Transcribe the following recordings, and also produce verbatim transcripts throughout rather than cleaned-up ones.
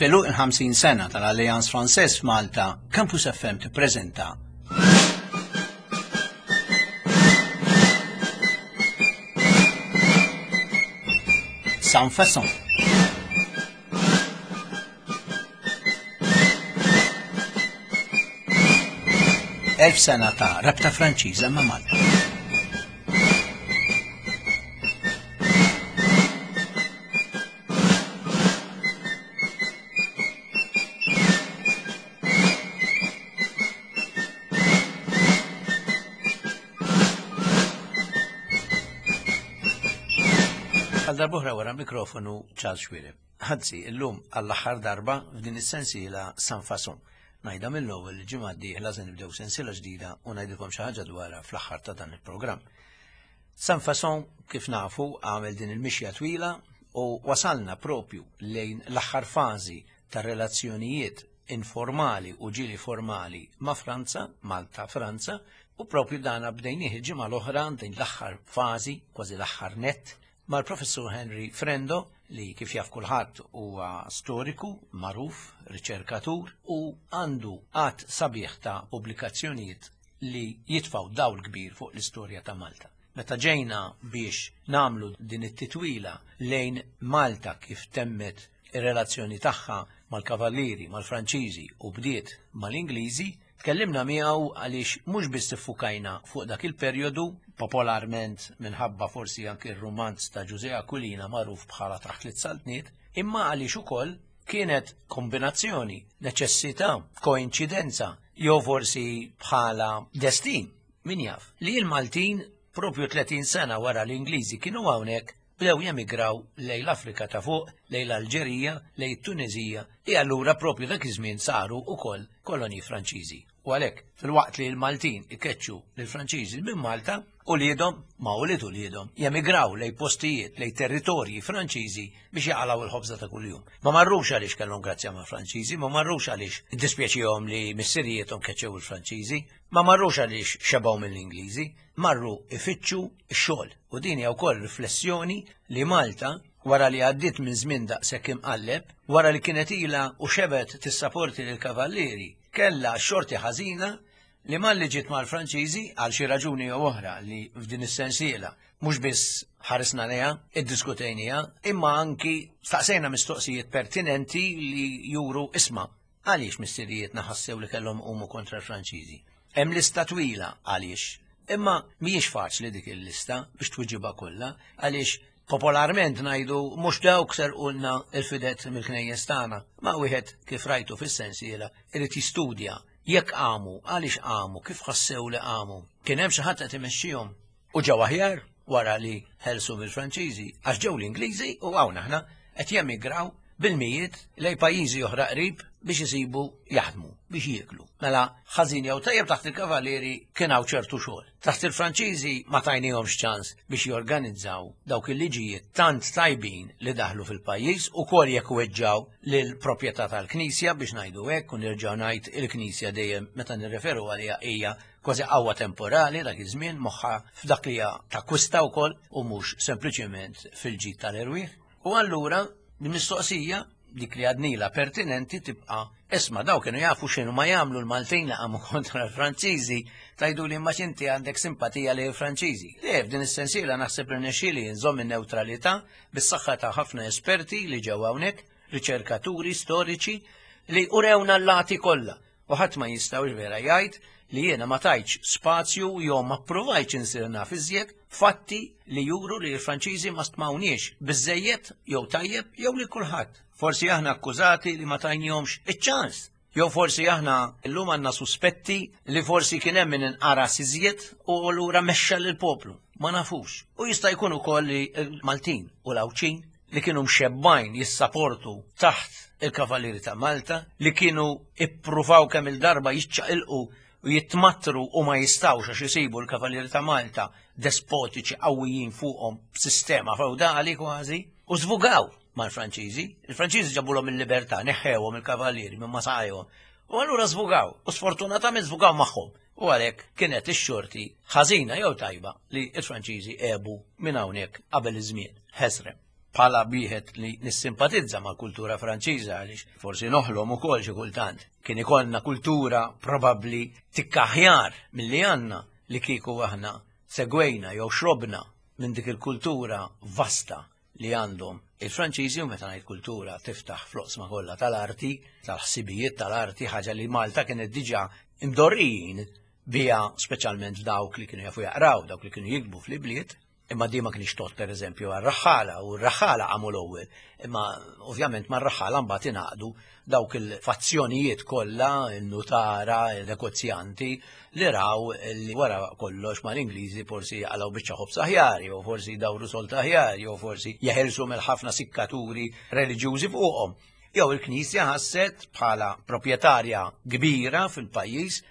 F'għeluq il-ħamsin sena tal-Alliance Française f'Malta, Campus F M tippreżenta Sans Façon. Elf sena ta' rabta Franċiża ma' Malta. Għal darbohra wara mikrofonu Charles Xuereb. Anzi, illum għall-aħħar darba f'din is-sensiela Sans Façon. Ngħidha mill-ewwel li ġimgħa d-dieħla se nibdew sensiela ġdida u ngħidilkom xi ħaġa dwarha fl-aħħar ta' dan il-programm. Sans Façon, kif nafu, għamel din il-mixja twila u wasalna propju lejn l-aħħar fażi ta' relazzjonijiet informali u ġieli formali ma' Franza, Malta, Franza, u propju dana bdejnieh il-ġimgħa l-oħra din l-aħħar fażi, kważi l-aħħar nett, mal-professur Henry Frendo, li kif jaf kulħadd huwa storiku, magħruf, riċerkatur u għandu għadd sabiħ ta' pubblikazzjonijiet li jitfgħu dawl kbir fuq l-istorja ta' Malta. Meta ġejna biex namlu din it-titwila lejn Malta kif temmet ir-relazzjoni tagħha mal-Kavallieri, mal-Franċiżi u bdiet mal-Ingliżi, tkellimna miegħu għaliex mhux biss iffukajna fuq dak il-perjodu, popolarment minħabba forsi anke r-rumanz ta' Ġużè Aquilina magħruf bħala Taħt Tliet Saltniet, imma għaliex ukoll kienet kombinazzjoni, neċessità, koinċidenza, jew forsi bħala destin, min jaf, li l-Maltin propju tletin sena wara l-Ingliżi kienu hawnhekk bdew jemigraw lejn l-Afrika ta' fuq, lejn l-Alġerija, lejn it-Tunezija, li allura propju dak iż-żmien saru wkoll kolonji Franċiżi. U għalhekk, filwaqt li l-Maltin ikeċċu lill-Franċiżi minn Malta, uliedhom ma' ulied uliedhom jemigraw lejn postijiet, lejn territorji Franċiżi biex jaqalgħu l-ħobża ta' kuljum. Ma marrux għaliex kellhom grazzja ma' Franċiżi, ma marrux għaliex iddispjaċihom li missirijiethom keċċew il-Franċiżi, ma marrux għaliex xebgħu mill-Ingliżi, marru ifittxu x-xogħol. U din hija wkoll riflessjoni li Malta, wara li għaddiet minn żmien daqshekk imqalleb, wara li kienet ilha u xebgħet tissaporti lill-Kavallieri, kellha xorti ħażina li malli ġiet mal-Franċiżi għal xi raġuni jew oħra li f'din is-sensiela mhux biss ħarisna lejha, iddiskutejniha, imma anki staqsejna mistoqsijiet pertinenti li juru isma' għaliex missirijietna ħassew li kellhom iqumu kontra l-Franċiżi. Hemm lista twila għaliex, imma mhijiex faċli dik il-lista biex twiġibha kollha, għaliex popolarment ngħidu mhux dawk serqulna il-fidet mill-knejjes tagħna, ma wieħed kif rajtu fis-sensiela irid jistudja jekk qamu, għaliex qamu, kif ħassew li qamu. Kien hemm xi ħadd qed imexxihom u ġew aħjar wara li ħelsu mill-Franċiżi, għax ġew l-Ingliżi u hawn aħna qed jemigraw bil-mijiet lejn pajjiżi oħra qrib biex isibu jaħdmu, biex jieklu. Mela ħażin jew tajjeb taħt il-Kavallieri kien hawn ċertu xogħol. Taħt il-Franċiżi ma tajnihomx ċans biex jorganizzaw dawk il-liġijiet tant tajbin li daħlu fil-pajjiż ukoll jekk weġġaw lill-proprjetà tal-Knisja biex ngħidu hekk u nerġgħu ngħid il-Knisja dejjem meta nirreferu għaliha hija kważi qawwa temporali dak iż-żmien moħħha f'dak li hija takkwista wkoll u mhux sempliċement fil-ġid tal-erwieħ. U allura l-mistoqsija dik li għadnila pertinenti tibqa' isma' daw kienu jafu x'inhu ma jagħmlu l-Maltin li qamu kontra l-Franċiżi, tajdu li imma x'inti għandek simpatija lejn il-Franċiżi. Le, f'din is-sensiela naħseb li nexxieli nżomm in-newtralità bis-saħħa ta' ħafna esperti li ġew hawnhekk, riċerkaturi storiċi li urewna l-lati kollha. U ħadd ma jistgħu vera jgħid li jiena ma tajtx spazju jew ma ppruvajtx insir naf iżjed fatti li juru li l-Franċiżi ma stmawniex biżżejjed jew tajjeb jew li kulħadd. Forsi aħna akkużati li ma tajnihomx iċ-ċans. Jew forsi aħna llum għandna suspetti li forsi kien hemm min inqaras iżjed u allura mexxa lill-poplu. Ma nafux. U jista' jkun ukoll li l-Maltin u l-Għawdxin li kienu mxebbajn jissaportu taħt il-Kavallieri ta' Malta, li kienu ippruvaw kemm il-darba jiċċaqilqu u jitmatru u ma jistawx għax isibu l-Kavallieri ta' Malta despotiċi qawwijin fuqhom b'sistema feudali kważi, u żvugaw mal-Franċiżi. Il-Franċiżi ġabulhom il-libertà, neħħewhom il-Kavallieri minn ma saqajhom. U allura żvugaw, u sfortunatament żvugaw magħhom. U għalhekk kienet ix-xorti ħażina jew tajba li l-Franċiżi għebu minn hawnhekk qabel iż-żmien. Ħesrem. Bħala wieħed li nissimpatizza mal-kultura Franċiża għaliex forsi noħlom ukoll xi kultant. Kien ikollna kultura probabbli tikka aħjar milli għandna li kieku aħna segwejna jew xrobna minn dik il-kultura vasta li għandhom il-Franċiżi, u meta ngħid kultura tiftaħ fl-oqsma kollha tal-arti, tal-ħsibijiet tal-arti, ħaġa li Malta kienet diġà imdorrijin biha, speċjalment dawk li kienu jafu jaqraw, dawk li kienu jikbu fl-ibliet. Imma di ma kienx tot pereżempju għar-raħħala, u r-raħħala għamu l-ewwel. Imma ovvjament mar-raħħala mbagħad ingħaqdu dawk il-fazzjonijiet kollha, il-nutara, il-negozjanti, li raw li wara kollox mal-Ingliżi forsi jaqalgħu biċċa ħobż aħjar, jew forsi jdawru solt aħjar, jew forsi jeħilsu mill-ħafna sikkaturi reliġjużi fuqhom. Jew il-Knisja ħasset bħala proprjetarja kbira fil-pajjiż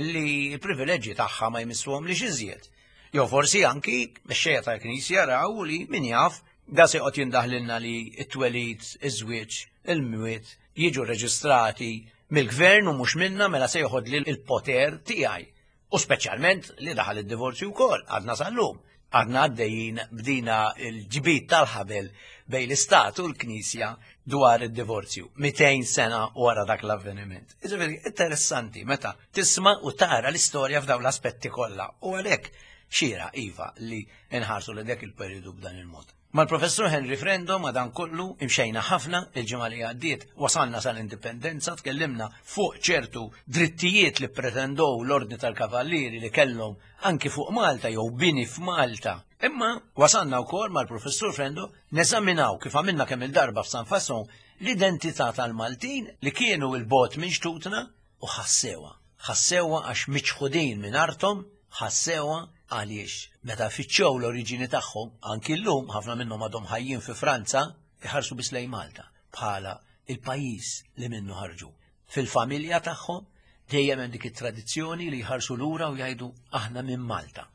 li l-privileġġi tagħha ma jmissuhom li iżjed. Jew forsi anki mexxejja tal-Knisja raw li min jaf da se joqgħod jindaħlilna li t-twelid, iż-żwieġ, il-mwiet jiġu reġistrati mill-gvern u mhux minna, mela se joħodli l-poter tiegħi. U speċjalment li daħal id-divorzju wkoll, għadna sal-lum. Għadna għaddejjin bdina l-ġbid tal-ħabel bejn l-Istat u l-Knisja dwar id-divorzju, mitejn sena wara dak l-avveniment. Jiġifieri interessanti meta tisma' u tara l-istorja f'dawn l-aspetti kollha. U għalhekk xira iva li nħarsu li dak il-periodu b'dan il-mod. Mal-professur Henry Frendo ma dan kollu imxejna ħafna il-ġimgħa li għaddiet, wasalna sal-indipendenza, tkellimna fuq ċertu drittijiet li pretendow l-Ordni tal-Kavallieri li kellhom anki fuq Malta jew bini f'Malta. Imma wasalna wkoll mal-professur Frendo neżaminaw kif għamilna kemm il-darba f'San Fason l-identità tal-Maltin li kienu il-bot minn xtutna u ħassewha. Ħassewha għax miċħudin minn arthom, ħassewha għaliex meta fittxew l-oriġini tagħhom, anki llum ħafna minnhom għadhom ħajjin fi Franza, iħarsu biss lejn Malta bħala il-pajjiż li minnu ħarġu. Fil-familja tagħhom dejjem hemm dik it-tradizzjoni li jħarsu lura u jgħidu aħna minn Malta.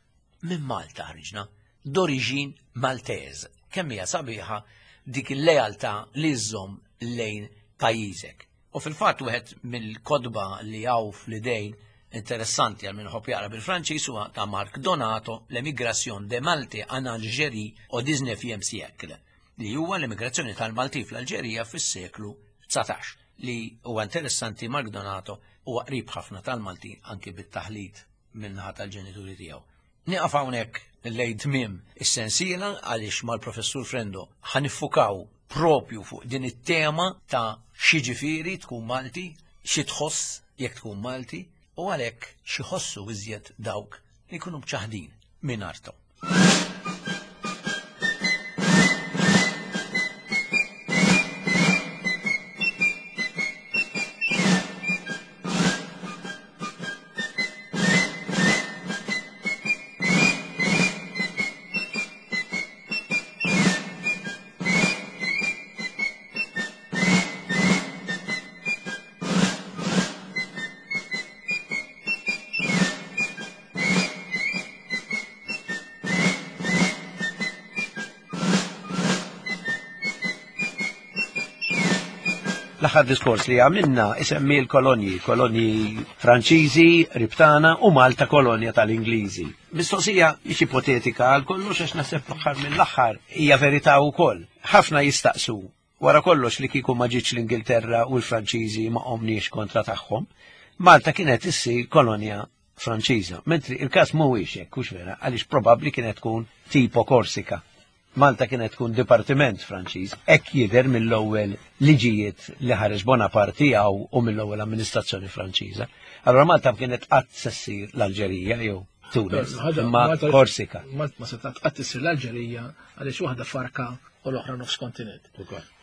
Minn Malta ħriġna, d'oriġin Maltez. Kemm hija sabiħa dik il-lealtà li żżomm lejn pajjiżek. U fil-fatt wieħed mill-kotba li hawn fl-idejn interessanti għal min iħobb jaqra bil-Franċiż huwa ta' Marc Donato, L-Emigration de Malte en Algérie au dix-neuvième siècle, li huwa l-emigrazzjoni tal-Malti fl-Alġerija fis-seklu dsatax, li huwa interessanti. Marc Donato huwa qrib ħafna tal-Malti anki bit-taħlit min-naħa tal-ġenituri tiegħu. Nieqaf hawnhekk lejn tmiem is-sensiela għaliex mal-professur Frendo ħaniffukaw propju fuq din it-tema ta' xi ġifieri tkun Malti, xi tħoss jekk tkun Malti, u għalhekk xi ħossu iżjed dawk li jkunu mċaħdin minn arthom. L-aħħar diskors li għamilna isemmi l-kolonji, kolonji Franċiżi, Ribtana u Malta kolonja tal-Ingliżi. Mistoqsija mhix ipotetika għal kollox għax naħseb fl-aħħar mill-aħħar hija verità wkoll. Ħafna jistaqsu wara kollox li kieku ma ġietx l-Ingilterra u l-Franċiżi ma qomniex kontra tagħhom, Malta kienet issir kolonja Franċiża, mentri il-każ mhuwiex hekk, hux vera, għaliex probabbli kienet tkun tipo Korsika. Malta kienet tkun dipartiment Franċiż, hekk jidher mill-ewwel liġijiet li ħareġ Bonaparte tiegħu u mill-ewwel amministrazzjoni Franċiża. Allora Malta kienet qatt se ssir l-Alġerija jew Tunis, imma Korsika. Malta ma setgħet qatt issir l-Alġerija għaliex waħda farka u l-oħra nofs kontinent.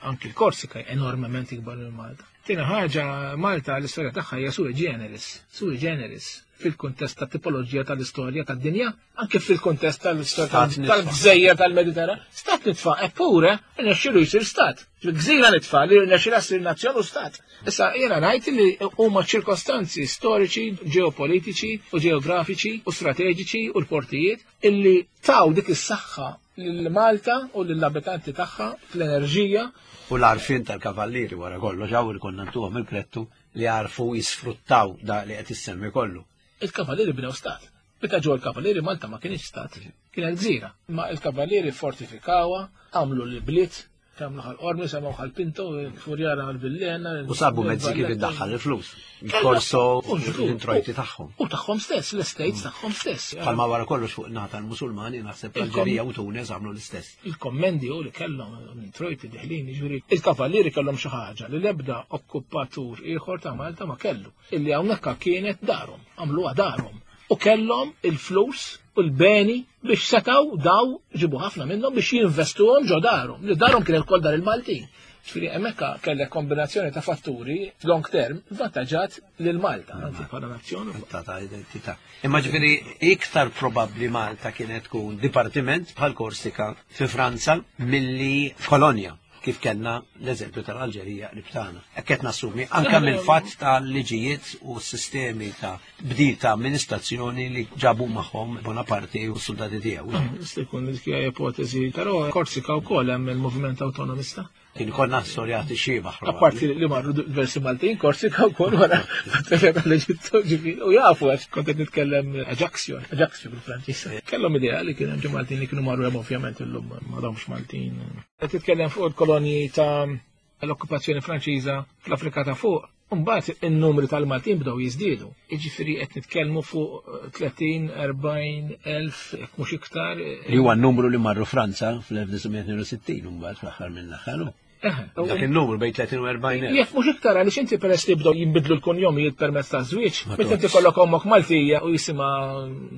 Anki l-Korsika enormement ikbar minn Malta. Tieni ħaġa, Malta l-istorja tagħha hija sui generis, sui generis fil-kuntest ta' tipoloġija tal-istorja tad-dinja, anke fil-kuntest tal-istorja tal-gżejjer tal-Mediterran, stat nitfa', eppure rnexxielu jsir stat. Gżira nitfa' li rnexxielha ssir nazzjon u stat. Issa jiena ngħid li huma ċirkostanzi storiċi, ġeopolitiċi u ġeografiċi u strateġiċi u l-portijiet illi taw dik is-saħħa lil Malta u lill-abitanti tagħha fl-enerġija. U l-għarfien tal-kavallieri wara kollox, hawn li konna ntuhom il-krettu li għarfu jisfruttaw da li qed issemmi kollu. Il-kavallieri bnew stat. Meta ġew il-kavallieri Malta ma kienx stat, Kienet gżira. Ma il-kavallieri fortifikawha, għamlu l-bliet, għamlu Ħal Qormi, semgħu Ħal Pinto, Furjara għal-Villena. U sabu mezzi kif iddaħħal il-flus. Il-korso, l-introjti tagħhom. U tagħhom stess, l-estates tagħhom stess. Bħalma wara kollox fuq naħa tal-Musulmani naħseb l-Alġerija u Tunis għamlu l-istess. Il-kommendi u li kellhom l-introjti deħlin, jiġifieri il-kavallieri kellhom xi ħaġa li l-ebda okkupatur ieħor ta' Malta ma kellu. Illi hawnhekk kienet darhom, għamluha darhom. U kellhom il-flus u l-beni biex setaw daw ġibu ħafna minnhom biex jinvestuhom ġo darhom. Li darhom kienet kol dar il-Maltin. Ġifieri hemmhekk kellek kombinazzjoni ta' fatturi long term vantaġġat lil Malta, anzi bħala nazzjon. Ta' ta' identità. Imma ġifieri iktar probabbli Malta kienet tkun dipartiment bħal Korsika fi Franza milli kolonja, kif kellna l-eżempju tal-Alġerija li btana. Hekk qed nassumi anke mill-fatt tal-liġijiet u s-sistemi ta' bdil ta' amministrazzjoni li ġabu magħhom Bonaparte u s-soldati tiegħu. Jista' jkun dik hija ipotezi, però Korsika wkoll hemm il-moviment awtonomista. Kien konna storjati xiebaħ. Apparti li marru diversi Maltin, Korsika wkoll wara tal-Eġittu, ġifieri, u jafu għax kont qed nitkellem Ajaccio, Ajaccio bil-Franċiż. Kellhom idea li kien hemm ġo Maltin li kienu marru hemm ovvjament illum m'għadhomx Maltin. Qed titkellem fuq il-kolonji ta' l-okkupazzjoni Franċiża fl-Afrika ta' fuq. Mbagħad in-numri tal-Maltin bdew jiżdiedu. Jiġifieri qed nitkellmu fuq tletin, erbgħin elf, jekk mhux iktar. Li huwa n-numru li marru Franza fl-elf disa' mija tnejn u sittin mbagħad fl-aħħar mill-aħħar. Dak il-numru bejn tletin u erbgħin elf. Jekk mhux iktar għaliex inti peress li bdew jinbidlu l-kunjomijiet permezz ta' żwieġ, meta inti kollok ommok Maltija u jisimha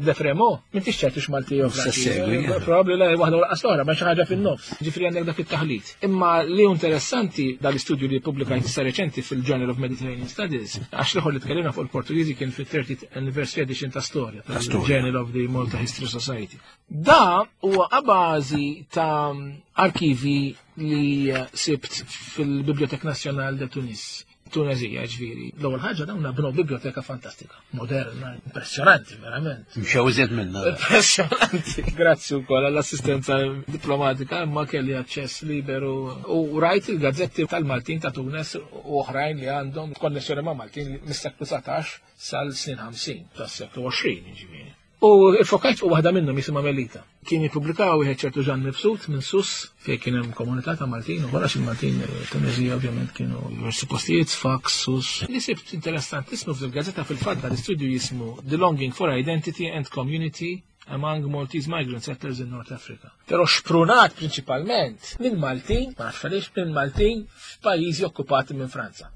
De Fremo, m'intix ċert Maltija u Franċiża. Probabbli la waħda u laqas l-oħra, ma xi ħaġa fin-nofs. Ġifieri għandek dak it-taħlit. Imma li hu interessanti dal-istudju li ppubblikajt issa reċenti fil-Journal of Mediterranean Studies, għax l-ieħor li tkellimna fuq il-Portugiżi kien fit-thirtieth Anniversary Edition ta' Storja, tal-Journal of the Malta History Society. Da huwa a bażi ta' arkivi li sibt fil-Bibliothèque Nationale de Tunis, Tunezija ġifieri. L-ewwel ħaġa dawn bnew biblioteka fantastika, moderna, impressjonanti verament. Mxew iżjed minna. Impressjonanti. Grazzi wkoll għall-assistenza diplomatika, imma kelli aċċess liberu u rajt il-gazzetti tal-Maltin ta' Tunis u oħrajn li għandhom konnessjoni ma' Maltin mis-seklu dsatax sal-snin ħamsin tas-seklu għoxrin ġifieri. U il-fokajt fuq waħda minnhom jisimha Melita. Kien jippubblikaw wieħed ċertu Ġan Mifsud minn Sus fejn kien hemm komunità ta' Maltin u wara il-Maltin Tunezija ovvjament kienu diversi postijiet, Sfax, Sus. Li sibt interessanti ismu fil-gazzetta fil-fatt dal-istudju jismu The Longing for Identity and Community Among Maltese Migrant Settlers in North Africa. Però xprunat prinċipalment minn Maltin, ma nafx għaliex, minn Maltin f'pajjiżi okkupati minn Franza.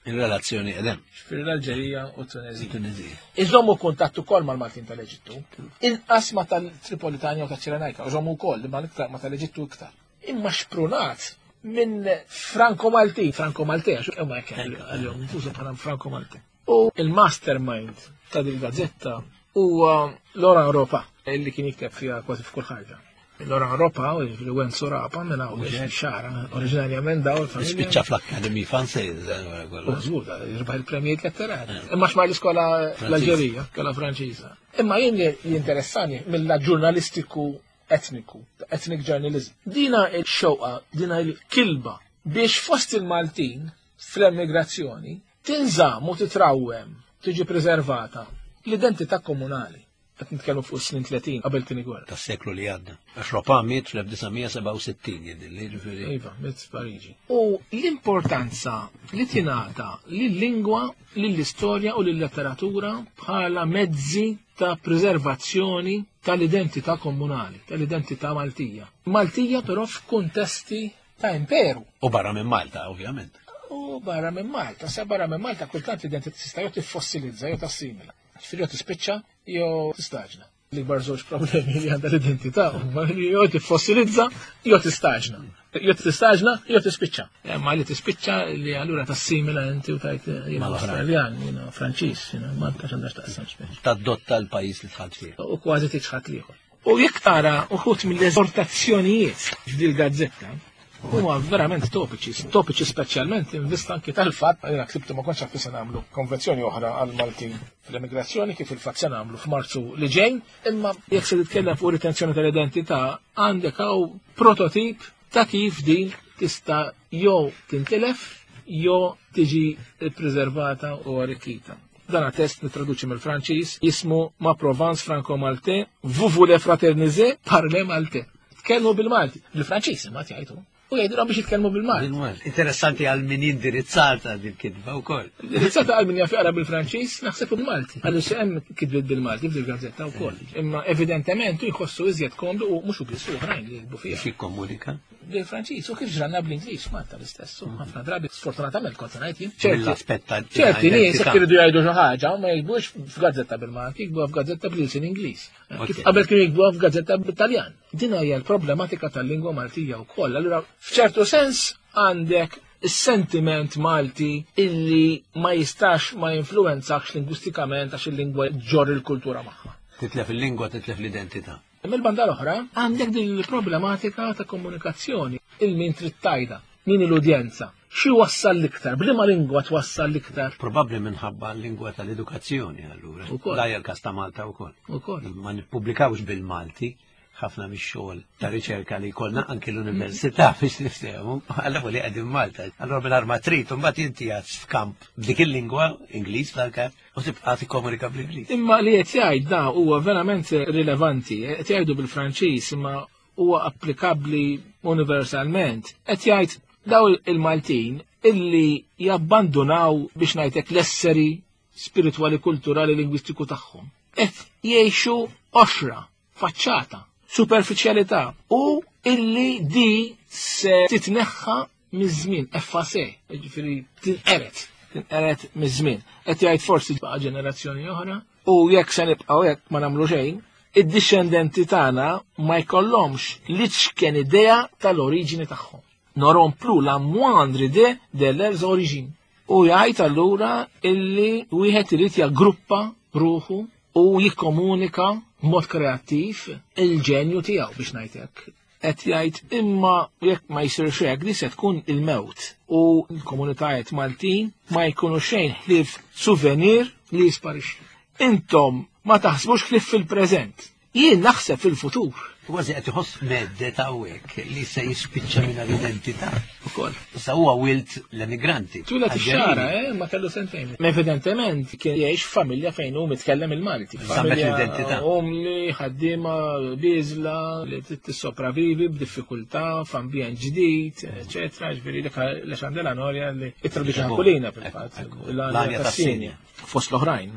Il-relazzjoni edem. Ġifieri l-Alġerija u Tunezija. Tunezija. Iżommu kuntatt ukoll mal-Maltin tal-Eġittu. Inqas ma tal-Tripolitanja u taċ-Ċirenajka, iżommu wkoll imma iktar ma tal-Eġittu iktar. Imma xprunat minn Franco Malti, Franco Malti, għax huma hekk għalihom infushom bħala Franco Malti. U il-mastermind ta' din gazzetta huwa Laurent Ropa, illi kien jikteb fiha kważi f'kull ħaġa. Laurent Ropa, u ġifieri Wenzu Rapa, minn hawn xara, oriġinarjament daw il-familja. Spiċċa fl-Akkademija Franċiża, wara kollox. U żgur, jirbaħ il-premjijiet letterari. Imma xmar l-iskola l-Alġerija, skola Franċiża. Imma jien li jinteressani mill-ġurnalistiku etniku, ethnic journalism. Dina il-xewqa, dina il-kilba biex fost il-Maltin fl-emigrazzjoni tinżamm u titrawwem, tiġi preservata l-identità komunali. Qed nitkellmu fuq is-snin tletin qabel tieni gwerra. Tas-seklu li għadda. Għax Ropa miet fl-elf disa' mija sebgħa u sittin jidhirli, ġifieri. Iva, miet f'Pariġi. U l-importanza li tingħata lil-lingwa, lill-istorja u lill-letteratura bħala mezzi ta' preservazzjoni tal-identità komunali, tal-identità Maltija. Maltija però f'kuntesti ta' imperu. U barra minn Malta, ovvjament. U barra minn Malta, sa barra minn Malta kultant l-identità tista' jew tifossilizza jew tassimila. Ġifieri jew tispiċċa jew tistaġna. L-ikbar żewġ problemi li għandha l-identità huma li jew tifossilizza jew tistaġna. Jew tistaġna jew tispiċċa. Imma li tispiċċa li allura tassimila inti u tajt jiena Awstraljan, jiena Franċiż, jiena Malta x'għandha x'taqsam speċi. Tadotta l-pajjiż li tħadd fih. U kważi tiċħad l-ieħor. U jekk tara uħud mill-eżortazzjonijiet f'dil gazzetta huma verament topiċi, topiċi speċjalment in vista anki tal-fatt, jiena ksibtu ma kontx naf se nagħmlu konvenzjoni oħra għal Maltin fl-emigrazzjoni kif il-fatt se nagħmlu f'Marzu li ġej, imma jekk se titkellem fuq retenzjoni tal-identità għandek hawn prototip ta' kif din tista' jew tintilef jew tiġi ppreservata u arrikkita. Dana test nitraduċi mill-Franċiż, jismu Ma Provence Franco-Maltais, vous voulez fraterniser, parlez maltais. Tkellmu bil-Malti, bil-Franċiż imma jgħidu. U jgħidulhom biex jitkellmu bil-Malti. Interessanti għal min indirizzata dil-kitba wkoll. Indirizzata għal min jaf jaqra bil-Franċiż, naħseb bil-Malti. Għaliex hemm kitbiet bil-Malti fil-gazzetta wkoll. Imma evidentement jħossu iżjed komdu u mhux biss oħrajn li jikbu fiha. Kif jikkomunika? Bil-Franċiż, u kif ġranna bl-Ingliż Malta l-istess. Ħafna drabi sfortunatament kont ngħid jien. Mill-aspett ta' ċerti nies jekk iridu jgħidu xi ħaġa ma jikbux f'gazzetta bil-Malti, jikbuha f'gazzetta bl-ilsien Ingliż. Kif qabel kienu jikbuha f'gazzetta bit-Taljan. Din hija l-problematika tal-lingwa Maltija wkoll. Allura f'ċertu sens għandek is-sentiment Malti illi ma jistax ma jinfluwenzakx lingwistikament għax il-lingwa ġorr il-kultura magħha. Titlef il-lingwa, titlef l-identità. Mill-banda l-oħra għandek din il-problematika ta' komunikazzjoni, il-min trid tajda, min l-udjenza, xi wassal l-iktar, b'liema lingwa twassal l-iktar. Probabbli minħabba l-lingwa tal-edukazzjoni allura. Da hija l-każ ta' Malta wkoll. Ukoll. Ma nippubblikawx bil-Malti ħafna mix-xogħol ta' riċerka li jkollna anki l-università biex niftehmu, għalla li qegħdin Malta. Allura mingħajr ma trid, imbagħad inti għad f'kamp b'dik il-lingwa Ingliż fl-każ u tibqa' tikkomunika bl-Ingliż. Imma li qed jgħid da huwa verament rilevanti, qed jgħidu bil-Franċiż imma huwa applikabbli universalment. Qed jgħid daw il-Maltin illi jabbandunaw biex ngħidlek l-esseri spiritwali, kulturali, lingwistiku tagħhom. Qed jgħixu qoxra, faċċata, superficialità u illi di se titneħħa miż-żmien, effacé, jiġifieri tinqeret, tinqeret miż-żmien. Qed jgħid forsi tbaqa' ġenerazzjoni oħra u jekk se nibqgħu hekk ma nagħmlu xejn, id-dixxendenti tagħna ma jkollhomx l-iċken idea tal-oriġini tagħhom. N'auront plus la moindre idée de leurs origines. U jgħid allura illi wieħed irid jaggruppa ruħu u jikkomunika b'mod kreattiv il-ġenju tiegħu biex ngħid hekk. Qed jgħid imma jekk ma jsirx hekk di se tkun il-mewt u l-komunitajiet Maltin ma jkunu xejn ħlief souvenir li jisparixxi. Intom ma taħsbux ħlief fil-preżent. Jien naħseb fil-futur. Kważi qed iħoss meddet hawnhekk li se jispiċċa minn l-identità. Ukoll. Issa huwa wilt l-emigranti. Twieled ix-xara, eh, ma kellu sentejn. Ma evidentement kien jgħix f'familja fejn hu mitkellem il-Malti. Żammet l-identità. Om li ħaddiema biżla li trid tissopravivi b'diffikultà f'ambjent ġdid, eċetera. Ġifieri dik l-Xandela Norja li ittraduċi Ħakulina fil-fatt, l-Għanja tas-Sinja. Fost l-oħrajn.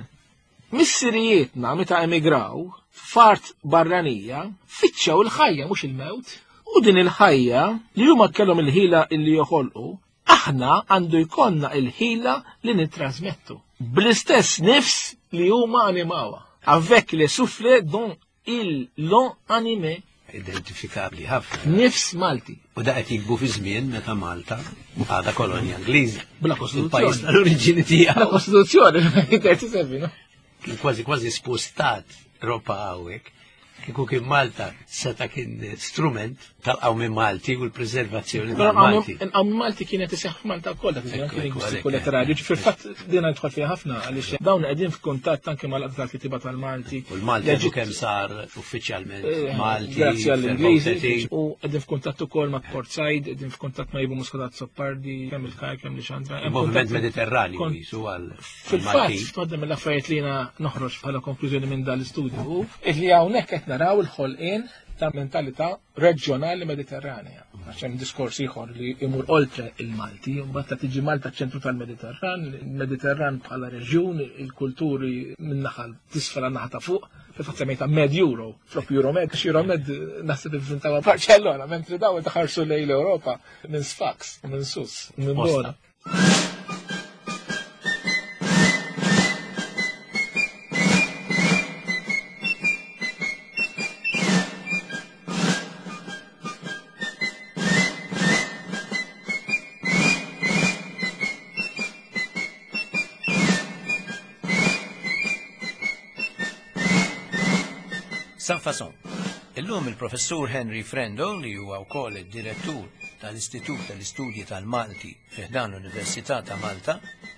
Missirijietna meta emigraw f'art barranija fittxew il-ħajja mhux il-mewt. U din il-ħajja li huma kellhom il-ħila illi joħolqu, aħna għandu jkollna il-ħila li nittrasmettu. Bl-istess nifs li huma animawha. Avec le souffle dont ils l'ont animé. Identifikabli ħafna. Nifs Malti. U da qed jikbu fi żmien meta Malta għadha kolonja Ingliża. Bla kostituzzjoni. Il-pajjiż tal-oriġini tiegħu. Bla kostituzzjoni, thirty-seven, no? Kien kważi kważi spostat ropa hawnhekk. Kieku kien Malta seta' kien strument tal-qawmi Malti u l-preservazzjoni tal-Malti. Il-qawmi Malti kienet iseħħ f'Malta wkoll dak iż-żmien kien lingwistiku letterarju. Fil-fatt din nidħol fiha ħafna għaliex dawn qegħdin f'kuntatt anke mal-qagħda tal-kitiba tal-Malti. U l-Malti għadu kemm sar uffiċjalment Malti. Grazzi għall-Ingliżi. U qegħdin f'kuntatt ukoll ma' Port Said, qegħdin f'kuntatt ma' Ivo Muscat Azzopardi, kemm il-Kaj, kemm Lixandra. Il-moviment Mediterranju jisu għal. Fil-fatt, waħda mill-affarijiet li jiena noħroġ bħala konklużjoni minn dan l-istudju li hawnhekk qed naraw il-ħolqien ta' mentalità reġjonali Mediterranea. Għax hemm diskors ieħor li imur oltre il-Malti, mbagħad ta' tiġi Malta ċentru tal-Mediterran, il-Mediterran bħala reġjun, il-kulturi minn naħa tisfel għan naħa ta' fuq, fil-fatt semmejta Med Euro, flok Euromed, għax Euromed naħseb ivvintawa Barcellona, mentri daw taħarsu lejn l-Ewropa minn Sfax, minn Sus, minn Bona. Sans Façon. Illum il-professur Henry Frendo, li huwa wkoll id-direttur tal-Istitut tal-Istudji tal-Malti fi ħdan l-Università ta' Malta,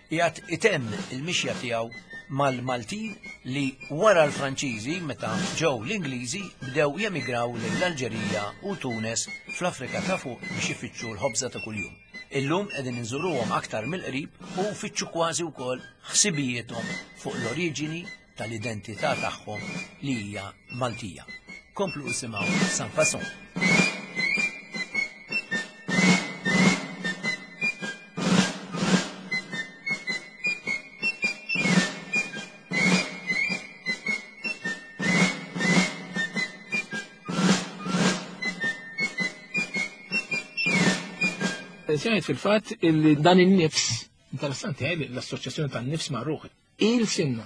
qiegħed itemm il-mixja tiegħu mal-Maltin li wara l-Franċiżi meta ġew l-Ingliżi bdew jemigraw lejn l-Alġerija u Tunes fl-Afrika ta' fuq biex ifittxu l-ħobża ta' kuljum. Illum qegħdin inżuruhom aktar mill-qrib u nfittxu kważi wkoll ħsibijiethom fuq l-oriġini tal-identità tagħhom li hija Maltija. Komplu isimgħu Sans Façon. Sejt fil-fatt illi dan in-nifs, interessanti eh, l-assoċjazzjoni tan-nifs ma' ruħ, il-sinna,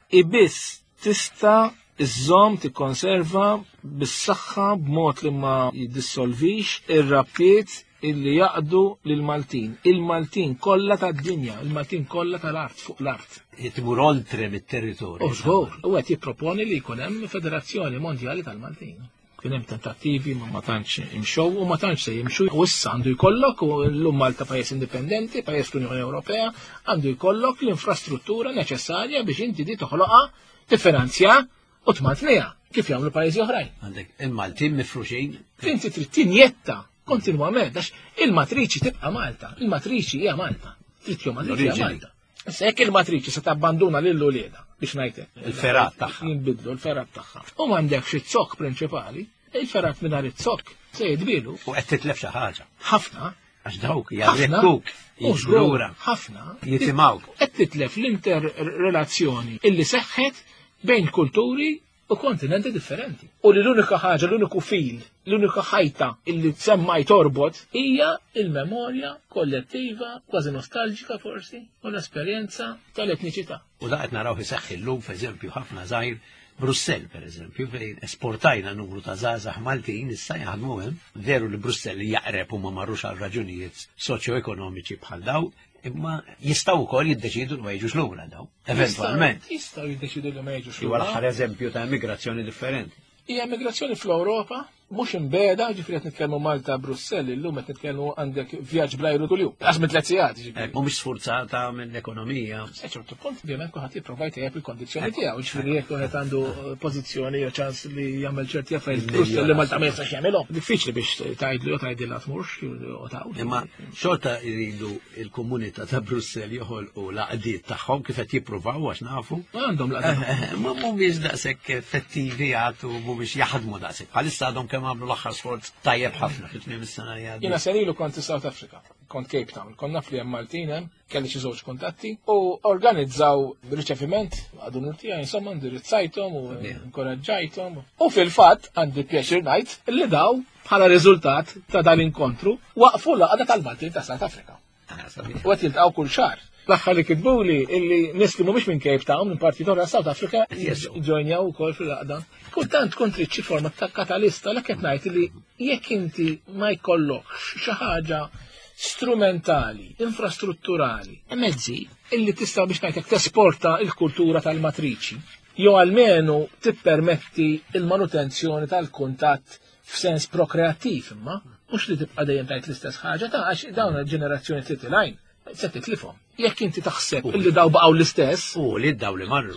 ibiss tista' iżżomm tikkonserva bis-saħħa b'mod li ma jiddissolvix ir-rabtiet illi jaqdu lill-Maltin. Il-Maltin kollha tad-dinja, il-Maltin kollha tal-art fuq l-art. Timur oltre mit-territorju. U żgur, u qed jipproponi li jkun hemm Federazzjoni Mondjali tal-Maltin. Kien hemm tentattivi ma ma tantx imxew u ma tantx se jimxu. U issa għandu jkollok, u llum Malta pajjiż indipendenti, pajjiż l-Unjoni Ewropea, għandu jkollok l-infrastruttura neċessarja biex inti di toħloqha, tiffinanzja u tmantniha kif jagħmlu pajjiżi oħrajn. Għandek il-Maltin mifruxin. Inti trid tinjetta kontinwament għax il-matriċi tibqa' Malta, il-matriċi hija Malta. Trid jew matriċi hija Malta. Issa jekk il-matriċi se tabbanduna lil uliedha biex ngħidlek. Il-ferat tagħha. Jinbidlu l-ferat tagħha. U m'għandekx iz-zokk prinċipali, il-ferat mingħajr iz-zokk se jidbilu. U qed titlef xi ħaġa. Ħafna. Għax dawk jarrettuk, jiġru ħafna. Jitimgħuk. Qed titlef l-interrelazzjoni illi seħħet bejn kulturi u kontinenti differenti. U li l-unika ħaġa, l-uniku fil, l-unika ħajta illi tsemmaj torbot hija il-memorja kollettiva, kważi nostalġika forsi, u l-esperjenza tal-etniċità. U da qed naraw iseħħ illum, f'eżempju, ħafna żgħir Brussell, per eżempju, fejn esportajna numru ta' żgħażagħ Maltin issa jaħdmu hemm. Veru li Brussell jaqreb u ma marrux għal raġunijiet soċjoekonomiċi bħal daw, imma jistgħu wkoll jiddeċidu li ma jiġux lura daw, eventwalment. Jistgħu jiddeċidu li ma jiġux lura. Huwa l-aħħar eżempju ta' immigrazzjoni differenti. Hija immigrazzjoni fl-Ewropa, mhux imbeda, ġifieri qed nitkellmu Malta Brussell illum qed nitkellmu għandek vjaġġ bl-ajru kuljum. Għax minn tliet sigħat, ġifieri. Mhumiex sfurzata mill-ekonomija. Sa ċertu punt ovvjament kulħadd jipprova jtejjeb il-kondizzjoni tiegħu, ġifieri jekk wieħed għandu pożizzjoni jew ċans li jagħmel ċerti affarijiet Brussell li Malta ma jistax jagħmilhom. Diffiċli biex tgħidlu jew tgħidilha tmurx u tgħawd. Imma xorta jridu il-komunità ta' Brussell joħolqu l-għaqdiet tagħhom kif qed jippruvaw għax nafu. Għandhom l-għaqdiet. Ma mhumiex daqshekk effettivi għad u mhumiex jaħdmu daqshekk. Bħalissa għadhom kemm għamlu l-aħħar sforz tajjeb ħafna fit-tmiem is-sena li għaddiet. Jiena senilu kont South Africa, kont Cape Town, kont naf li hemm Maltin hemm, kelli xi żewġ kuntatti u organizzaw riċeviment għadu nurtija, insomma indirizzajthom u inkoraġġajthom. U fil-fatt għandi pjaċir ngħid li daw bħala riżultat ta' dan inkontru waqfu l-għaqda tal-Maltin ta' South Africa. U qed jiltaqgħu kull xahar. L-aħħar li kitbuli illi nies li mhumiex minn Cape Town, minn parti oħra South Africa, ġojnjaw ukoll fil-għaqda. Kultant tkun trid xi forma ta' katalista, l qed ngħid li jekk inti ma jkollokx xi ħaġa strumentali, infrastrutturali, mezzi illi tista' biex ngħidlek tesporta l-kultura tal-matriċi, jew almenu tippermetti il-manutenzjoni tal-kuntatt f'sens prokreattiv imma, mhux li tibqa' dejjem tgħid l-istess ħaġa ta' għax dawn il-ġenerazzjoni titilgħin se titlifhom. Jekk inti taħseb illi daw baqgħu l-istess. U li daw li marru.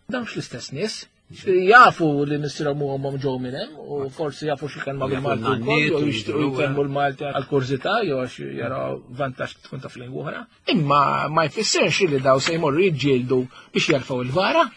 Dawn l-istess nies. Jafu li missierhom u ommhom ġew minn hemm u forsi jafu xi kelma bil-Malti wkoll jew jixtiequ jitkellmu l-Malti għall-kurżità jew għax jaraw vantaġġ tkun taf lingwa oħra. Imma ma jfissirx li daw se jmorru jiġġieldu biex jerfgħu il-vara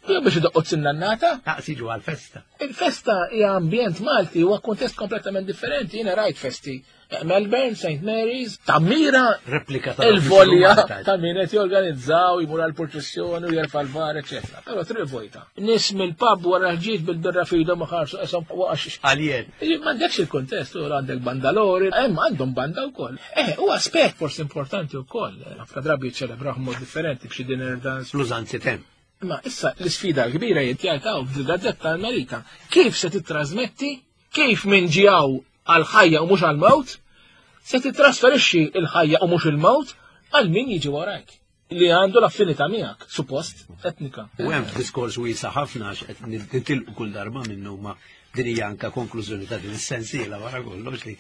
jew biex idoqqu t-sinnannata. Taqs jiġu għall-festa. Il-festa hija ambjent Malti huwa kuntest kompletament differenti. Jiena rajt festi Melbourne, Saint Mary's, tammira replika ta' il-volja ta' min qed jorganizzaw, jmur għall-purċissjoni u jerfa' l-var, eċetera. Però triq vojta. Nies mill-pub wara ħġiet bil-birra f'idhom u ħarsu qeshom waqax. Għaljen. M'għandekx il-kuntest, u għandek bandalori, hemm għandhom banda wkoll. Eh, u aspett forsi importanti wkoll. Ħafna drabi jiċċelebraw b'mod differenti b'xi dinner dance. L-użanzi temm. Ma issa l-isfida l-kbira jitjajtaw f'dil-gazzetta Amerika. Kif se titrasmetti? Kif minn ġijaw għal-ħajja u mhux għal-mewt, se titrasferixxi l-ħajja u mhux il-mewt għal min jiġi warajk li għandu l-affinità miegħek, suppost etnika. U hemm diskors wiesa' ħafna għax qed nitilqu kull darba minnu ma din hija anke konklużjoni ta' din is-sensiela wara kollox li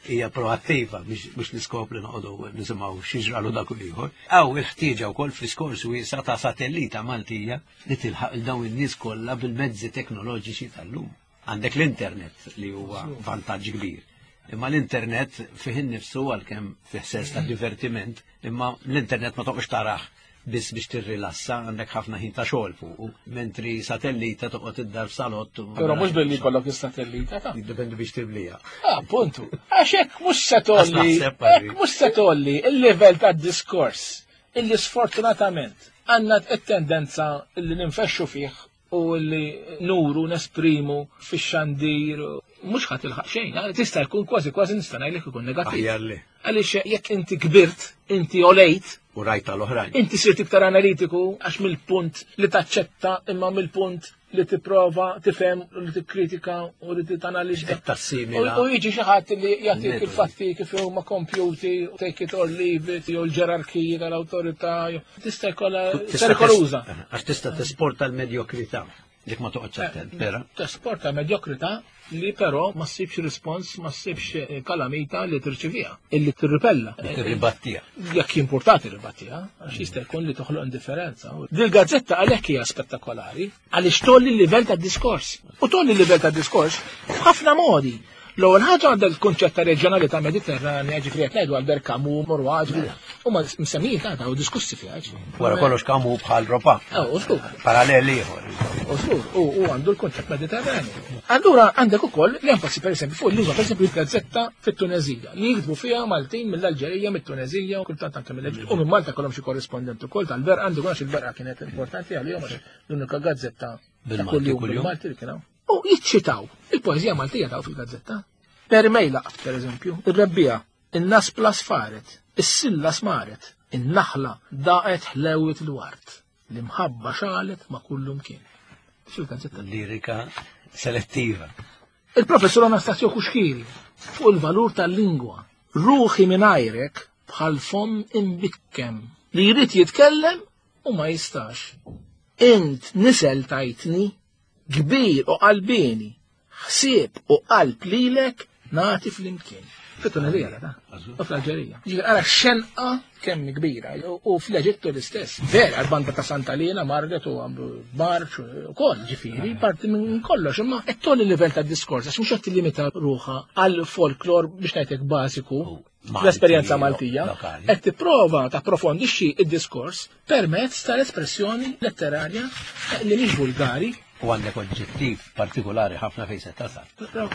hija proattiva mhux l-iskop li noqogħdu nisimgħu xi ġralu dak u ieħor. Hawn il-ħtieġa wkoll fl-iskors wiesa' ta' satellita Maltija li tilħaq il dawn in-nies kollha bil-mezzi teknoloġiċi tal-lum. Għandek l-internet li huwa vantaġġ kbir. Imma l-internet fih innifsu għalkemm fih sens ta' divertiment, imma l-internet ma toqgħodx tarah biss biex tirrilassa, għandek ħafna ħin ta' xogħol fuq, mentri satellita toqgħod id-dar f'salott. Però mhux billi jkollok is-satellita ta'. Jiddependi biex timlija. Ah, puntu. Għax hekk mhux se tgħolli, hekk mhux se tgħolli il-livell tad-diskors illi sfortunatament għandna t-tendenza illi ninfexxu fih u li nuru nesprimu fix-xandir mhux ħadd ilħaq xejn, tista' jkun kważi kważi nista' ngħidlek ikun negattiv. Għaliex jekk inti kbirt, inti olejt, u rajt tal-oħrajn. Inti sirt iktar analitiku għax mill-punt li taċċetta imma mill-punt li tipprova tifhem u li tikkritika u li titanalizza. U jiġi xi ħadd li jagħtik il-fatti kif huma kompjuti, take it or leave it, jew l-ġerarkiji tal-awtorità, tista' jkollha perikoluża. Għax tista' tesporta l-medjokrità. Dik ma toqgħodx attent, vera. Tesporta medjokrità li però ma ssibx rispons, ma ssibx kalamita li tirċivija, illi tirripella. Li tirribattija. Jekk importati tirribattija, għax jista' jkun li toħloq indifferenza. Dil-gazzetta għalhekk hija spettakolari, għaliex tolli l-livell tad-diskors. U tolli l-livell tad-diskors f'ħafna modi. L-ewwel ħaġa għandha l-kunċett ta' reġjonalità Mediterranja, ġifieri qed ngħidu Albert Camus, Maurois, huma msemmijin ta' u diskussi fiha. Wara kollox Camus bħal Ropa. U żgur. Paralleli ieħor. U żgur, u għandu l-kunċett Mediterranju. Allura għandek ukoll l-enfasi pereżempju fuq l-lingwa, pereżempju l-gazzetta fit-Tunezija li jiktbu fiha Maltin mill-Alġerija, mit-Tunezija u kultant anke mill-Eġittu. U minn Malta kollhom xi korrispondent ukoll tal-Berqa, għandu għax il-Berqa kienet importanti għalihom għax l-unika gazzetta ta' kuljum bil-Malti li kien hawn. U jiċċitaw il-poeżija Maltija taw fil-gazzetta. Per mejlaq, per eżempju, ir-rebbija, in-naspla sfaret, is-silla smaret, in-naħla daqet ħlewit il-wart, l-imħabba xalet ma' kullum kien. Fil-gazzetta. Lirika selettiva. Il-professur Anastasio Kuxkiri fuq il-valur tal-lingwa. Ruħi mingħajrek bħal fom imbikkem li jrid jitkellem u ma jistax. Int nisel tajtni kbir u qalbini, ħsieb u qalb lilek nagħti flimkien. Fit-Tunezija ta' u fl-Alġerija. Ġifieri ara xenqa kemm kbira u fl-Eġittu l-istess. Vera l-banda ta' Santalina marret u għamlu marċ u koll, ġifieri, parti minn kollox, imma qed tolli livell tad-diskors għax mhux qed tillimita ruħha għal folklor biex ngħidlek bażiku l-esperjenza Maltija, qed tipprova tapprofondixxi id-diskors permezz tal-espressjoni letterarja li mhix vulgari. U għandek oġġettiv partikolari ħafna fejn se tasal.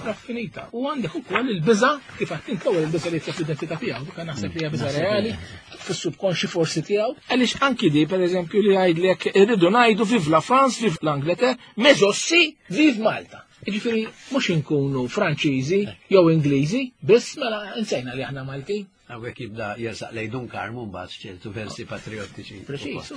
Raffinita. U għandek ukoll il-biża' kif qed int l-ewwel il-biża' li jitlob l-identità tiegħu, dik naħseb li hija biża' reali fis-subkonxi forsi tiegħu. Għaliex anki di pereżempju li jgħidlek irridu ngħidu vive la France, vive l'Angleterre, mais aussi vive Malta. Jiġifieri mhux inkunu Franċiżi jew Ingliżi, biss mela insejna li aħna Maltin. Hawnhekk jibda jersaq lejn Dun Karmu mbagħad ċertu versi patriottiċi. Preċiż.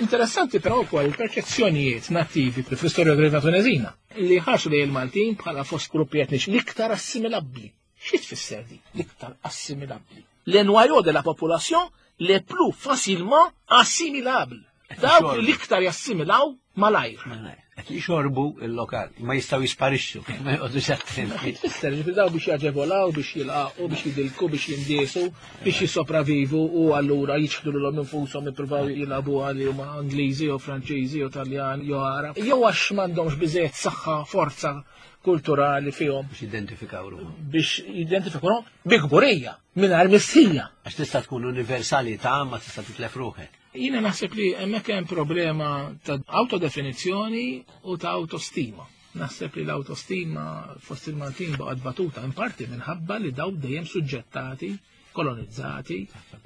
Interessanti però wkoll il-perċezzjonijiet nattivi fl-istorjografija Tunezina li ħarsu lejn il-Maltin bħala fost gruppi etniċi l-iktar assimilabbli. Xi tfisser di? L-iktar assimilabbli. Le noyau de la population les plus facilement assimilables. Dawk li l-iktar jassimilaw malajr. Qed jixorbu il-lokal, ma jistgħu jisparixxu, ma jqogħdux attenti. Tfisser li daw biex jaġevolaw, biex jilqaqu, biex jidilku, biex jindiesu, biex jissopravivu u allura jiċħdu lilhom infushom jippruvaw jilagħbu għal huma Ingliżi jew Franċiżi jew Taljan jew Arab. Jew għax m'għandhomx biżejjed saħħa, forza kulturali fihom. Biex jidentifikaw ruħhom. Biex jidentifikaw ruħhom bi kburija, mingħajr mistħija. Għax tista' tkun universalità ma tista' titlef ruħek. Jiena naħseb li hemmhekk hemm problema ta' autodefinizzjoni u ta' autostima. Naħseb li l-autostima fost il-Maltin baqgħet batuta in parti minħabba li daw dejjem suġġettati, kolonizzati,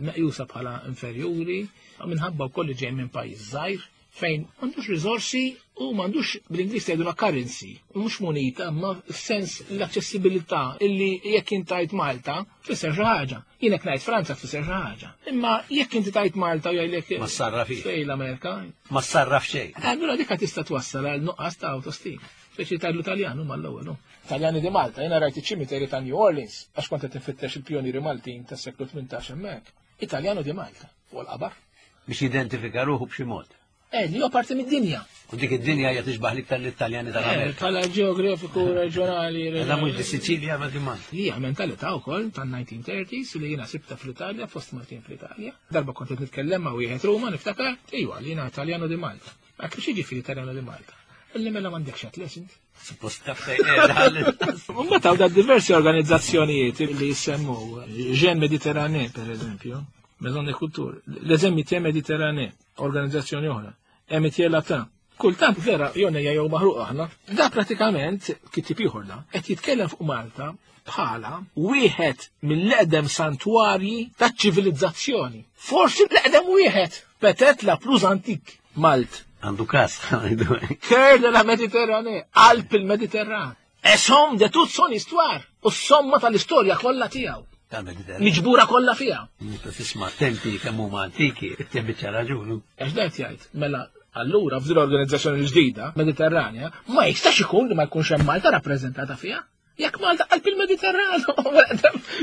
meqjusa bħala inferjuri, minħabba wkoll li ġej minn pajjiż żgħir fejn m'għandux riżorsi u m'għandux bl-Ingliż jgħidulha currency, mhux munita, ma f'sens l-aċċessibilità illi jekk int tajt Malta tfisser xi ħaġa. Jien jekk ngħid Franza tfisser xi ħaġa. Imma jekk inti tajt Malta u jgħidlek ma sarraf fejn l-Amerika. Ma sarraf xejn. Allura dik tista' twassal għal nuqqas ta' autostima. Speċi tgħidlu Taljan huma l-ewwel. Taljani di Malta, jiena rajt iċ-ċimiteri ta' New Orleans għax kont qed infittex il-pjonieri Maltin tas-seklu tmintax hemmhekk. Italjanu di Malta fuq il-qabar. Biex jidentifika ruħu b'xi mod. Eh, li huwa parti mid-dinja. U dik id-dinja hija tixbaħ l-iktar l-Italjani tal-Amerika. Bħala ġeografiku reġjonali. Da mhux di Siċilja ma di Malta. Hija mentalità wkoll tan-nineteen thirties li jiena sibta fl-Italja, fost Maltin fl-Italja. Darba kont qed nitkellem ma' wieħed Ruma niftakar, iwa li jiena Italjano di Malta. Ma kif jiġifieri Italjano di Malta? Illi mela m'għandekx atlas int. Suppost taf fejn qiegħda. Mbagħad hawn diversi organizzazzjonijiet li jissemmu, Jeunes Méditerranée per eżempju, Maison des Cultures, Les Amitiés Méditerranée, organizzazzjoni oħra, Amitié Latin. Kultant vera jonejja jew maħruq aħna. Da pratikament kitib ieħor da qed jitkellem fuq Malta bħala wieħed mill-eqdem santwarji taċ-ċivilizzazzjoni. Forsi l-eqdem wieħed, peut-être la plus antique, Malt. Għandu kas. Cœur de la Méditerranée, qalb il-Mediterran. E somme de toute son histoire, u s-somma tal-istorja kollha tiegħu. Tal-Mediterran. Miġbura kollha fiha. Meta tisma' tempi kemm huma antiki, it-tempi raġunu. Għax dat jgħid, mela allura f'din l-organizzazzjoni l-ġdida, Mediterranja, ma jistax ikun li ma jkunx hemm Malta rappreżentata fiha. Jekk Malta qalb il-Mediterran,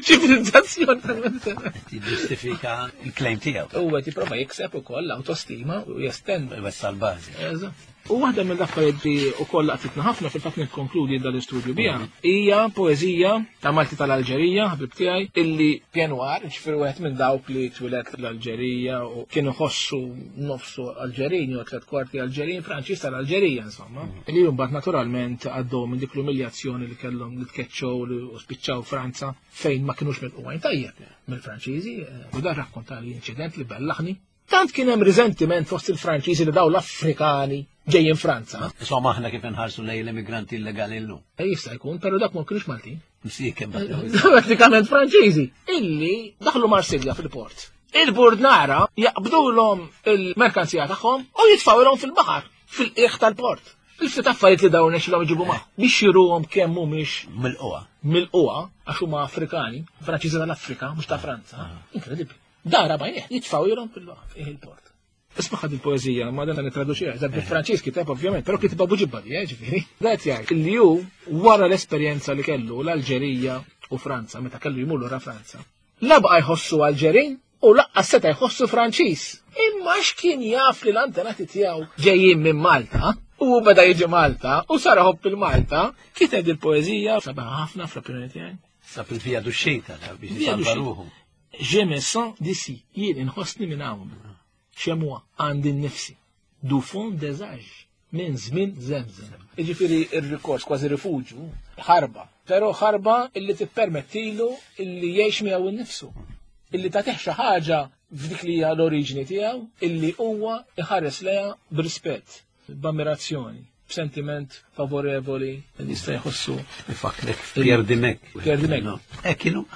ċivilizzazzjoni tal-Mediterran. Jiġġustifika il-claim tiegħu. U qed jipprova jikseb ukoll l-autostima u jestend. Iwessa' l-bażi. Eżatt. U waħda mill-affarijiet li wkoll laqtitna ħafna fil-fatt nikkonkludi dal-istudju biha hija poeżija ta' Malti tal-Alġerija, ħabib tiegħi, illi pied noir, ġifieri wieħed minn dawk li twilet l-Alġerija u kienu ħossu nofsu Alġerin jew tliet kwarti Alġerin, Franċiż tal-Alġerija insomma. Li mbagħad naturalment għaddew minn dik l-umiljazzjoni li kellhom li tkeċċew u spiċċaw Franza fejn ma kinux milqugħin tajjeb mill-Franċiżi, u dan rakkonta li inċident li bellaħni. Tant kien hemm riżentiment fost il-Franċiżi li daw l-Afrikani ġejjin Franza. Insomma aħna kif inħarsu lejn l-immigranti illegali llum. E jista' jkun, però dak ma kienux Maltin. Msieken Pratikament Franċiżi. Illi daħlu Marsilja fil-port. Il-burdnara jaqbdulhom il-merkanzija tagħhom u jitfawilhom fil-baħar, fil-qiegħ tal-port. Il-ftit affarijiet li dawn nexxilhom iġibu magħhom biex jiruhom kemm mhumiex mill-qwa. Mill-qwa għax huma Afrikani, Franċiżi tal-Afrika, mhux ta' Franza. Inkredibbli. Dara bajnieh, jitfawilhom fil-baħar, fih il-port. Isma' ħad il-poeżija, ma dan nittraduċiha, eżatt bil-Franċiż kiteb ovvjament, però kitibha Buġibba di, ġifieri. Dat jgħid li hu wara l-esperjenza li kellu l-Alġerija u Franza, meta kellu jmur lura Franza. La baqa' jħossu Alġerin u laqqas seta' jħossu Franċiż. Imma x'kien jaf li l-antenati tiegħu ġejjin minn Malta, u beda jiġi Malta, u sar iħobb il-Malta, kiteb il-poeżija sabaħ ħafna fl-opinjoni tiegħi. Sab il-via d'uscita biex Via jisalva d'uscita. ruħu. Je me sens d'ici, jien inħossni minn hawn. Xemwa għandi nnifsi. Du fond des âges, minn żmien żemżem. Jiġifieri ir-rikors kważi rifuġju, ħarba, però ħarba illi tippermettilu illi jgħix miegħu nnifsu. Illi tagħtih xi ħaġa f'dik li hija l-oriġini tiegħu, illi huwa iħares lejha b'rispett, b'ammirazzjoni, b'sentiment favorevoli li jista' jħossu. Ifakrek Pierre Dimech. Pierre Dimech. Hekk kienu.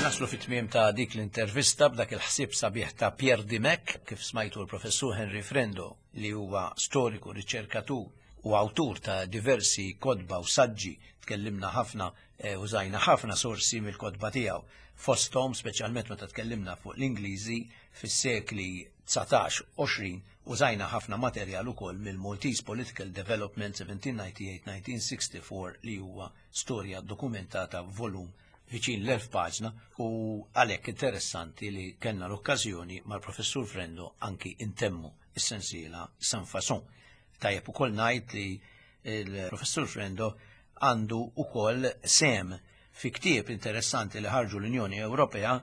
Naslu fit-tmiem ta' dik l-intervista b'dak il-ħsieb sabiħ ta' Pierre Dimech, kif smajtu l-professur Henry Frendo, li huwa storiku, riċerkatur u awtur ta' diversi kotba u saġġi. Tkellimna ħafna, eh, użajna ħafna sorsi mill-kotba tiegħu. Fosthom, speċjalment meta tkellimna fuq l-Ingliżi fis-sekli dsatax għoxrin, użajna ħafna materjal ukoll mill-Maltese Political Development seventeen ninety-eight nineteen sixty-four, li huwa storja dokumentata volum viċin l-elf paġna, u għalhekk interessanti li kellna l-okkażjoni mal-professur Frendo anki intemmu is-sensiela Sans Façon. Tajjeb ukoll ngħid li l-professur Frendo għandu ukoll sem fi ktieb interessanti li ħarġu l-Unjoni Ewropea,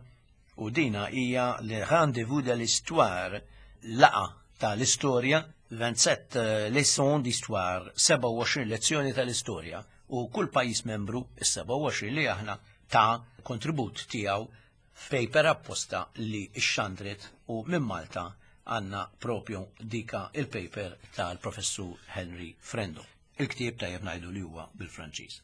u dina hija le Rendez-vous de l'Histoire, laqa tal-istorja, vingt-sept leçons d'histoire, sebgħa u għoxrin lezzjoni tal-istorja, u kull pajjiż membru, is-sebgħa u għoxrin li aħna, ta' kontribut tiegħu f'paper apposta li xxandret, u minn Malta għandna propju dika il-paper tal-professur Henry Frendo. Il-ktieb tajjeb ngħidu li huwa bil-Franċiż.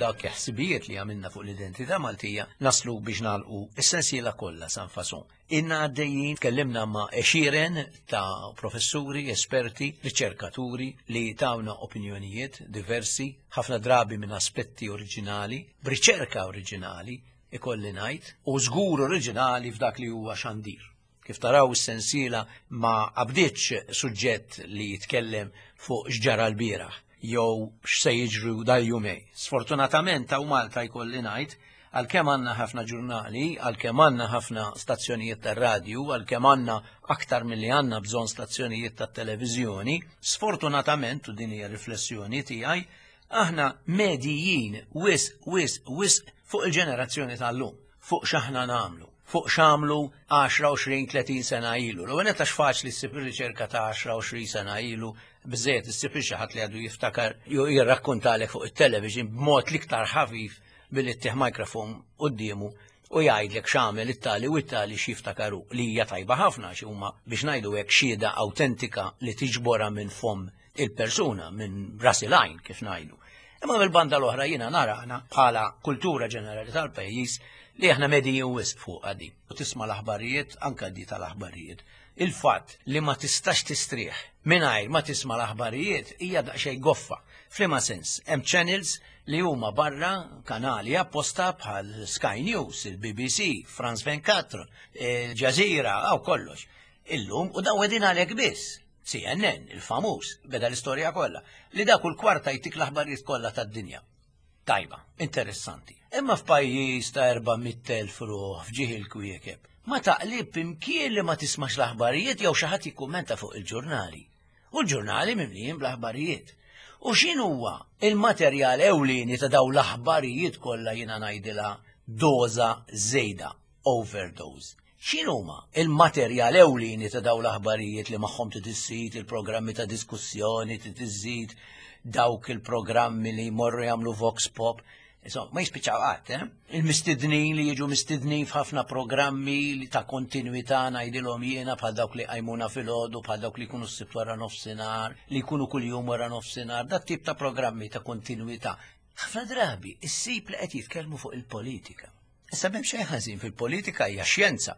dak ħsibijiet li għamilna fuq l-identità Maltija naslu biex nagħlqu is-sensiela kollha Sans Façon. Inna għaddejjin tkellimna ma' għexieren ta' professuri, esperti, riċerkaturi li tawna opinjonijiet diversi, ħafna drabi minn aspetti oriġinali, b'riċerka oriġinali, ikolli ngħid, u żgur oriġinali f'dak li huwa xandir. Kif taraw, is-sensiela ma qabditx suġġett li jitkellem fuq x'ġara l-bieraħ jew x'se jiġru dal-jumejn. Sfortunatament hawn Malta jkolli ngħid, għalkemm għandna ħafna ġurnali, għalkemm għandna ħafna stazzjonijiet tar-radju, għalkemm għandna aktar milli għandna bżonn stazzjonijiet tat-televiżjoni, sfortunatament, u din hija riflessjoni tiegħi, aħna medijin wisq, wisq, wisq fuq il-ġenerazzjoni tal-lum, fuq x'aħna nagħmlu, fuq x'għamlu għaxra, għoxrin, tletin sena ilu. L-ewwel għax faċli ssib ir-riċerka ta' għaxra, għoxrin sena ilu, biżejjed issib xi ħadd li għadu jiftakar jew jirrakkontalek fuq it-television b'mod l-iktar ħafif billi ttih mikrofon quddiemu u jgħidlek x'għamel it-tali u it-tali x'jiftakaru, li hija tajba ħafna xi huma, biex ngħidu hekk, xhieda awtentika li tiġbora minn fom il-persuna, minn ras il-għajn, kif ngħidu. Imma mill-banda l-oħra jiena nara aħna bħala kultura ġenerali tal-pajjiż li aħna medijin wisq fuq għadi. U tisma' l-aħbarijiet, anka di tal-aħbarijiet. Il-fatt li ma tistax tistrieħ mingħajr ma tisma' l-aħbarijiet hija daqsxejn goffa. F'liema sens? Hemm channels li huma barra, kanali apposta bħal Sky News, il-B B C, France ventiquattro, il Jazeera, għaw kollox. Illum, u daw qegħdin għalek biss. C N N, il-famuż, beda l-istorja kollha, li dak kull kwarta jtik l-aħbarijiet kollha tad-dinja. Tajba, interessanti. Imma f'pajjiż ta' erba' mitt elf ruħ f'ġieħ il-kwiekeb, ma taqlib imkien li ma tismax l-aħbarijiet jew xi ħadd jikkummenta fuq il-ġurnali. U l-ġurnali mimlijin bl-aħbarijiet. U x'inhuwa il-materjal ewlieni ta' daw l-aħbarijiet kollha? Jiena ngħidilha doża żejda, overdose. X'inhuma il-materjal ewlieni ta' daw l-aħbarijiet li magħhom tiżżid il-programmi ta' diskussjoni, tiżżid dawk il-programmi li jmorru jagħmlu vox pop? Insomma, ma jispiċċaw qatt, eh? Il-mistednin li jiġu mistednin f'ħafna programmi li ta' kontinuità ngħidilhom jiena, bħal dawk li qajmuna filgħodu, bħal dawk li jkunu s-Sibt wara nofsinhar, li jkunu kuljum wara nofsinhar, dat tip ta' programmi ta' kontinuità. Ħafna drabi issib li qed jitkellmu fuq il-politika. Issa, m'hemm xejn ħażin fil-politika, hija xjenza.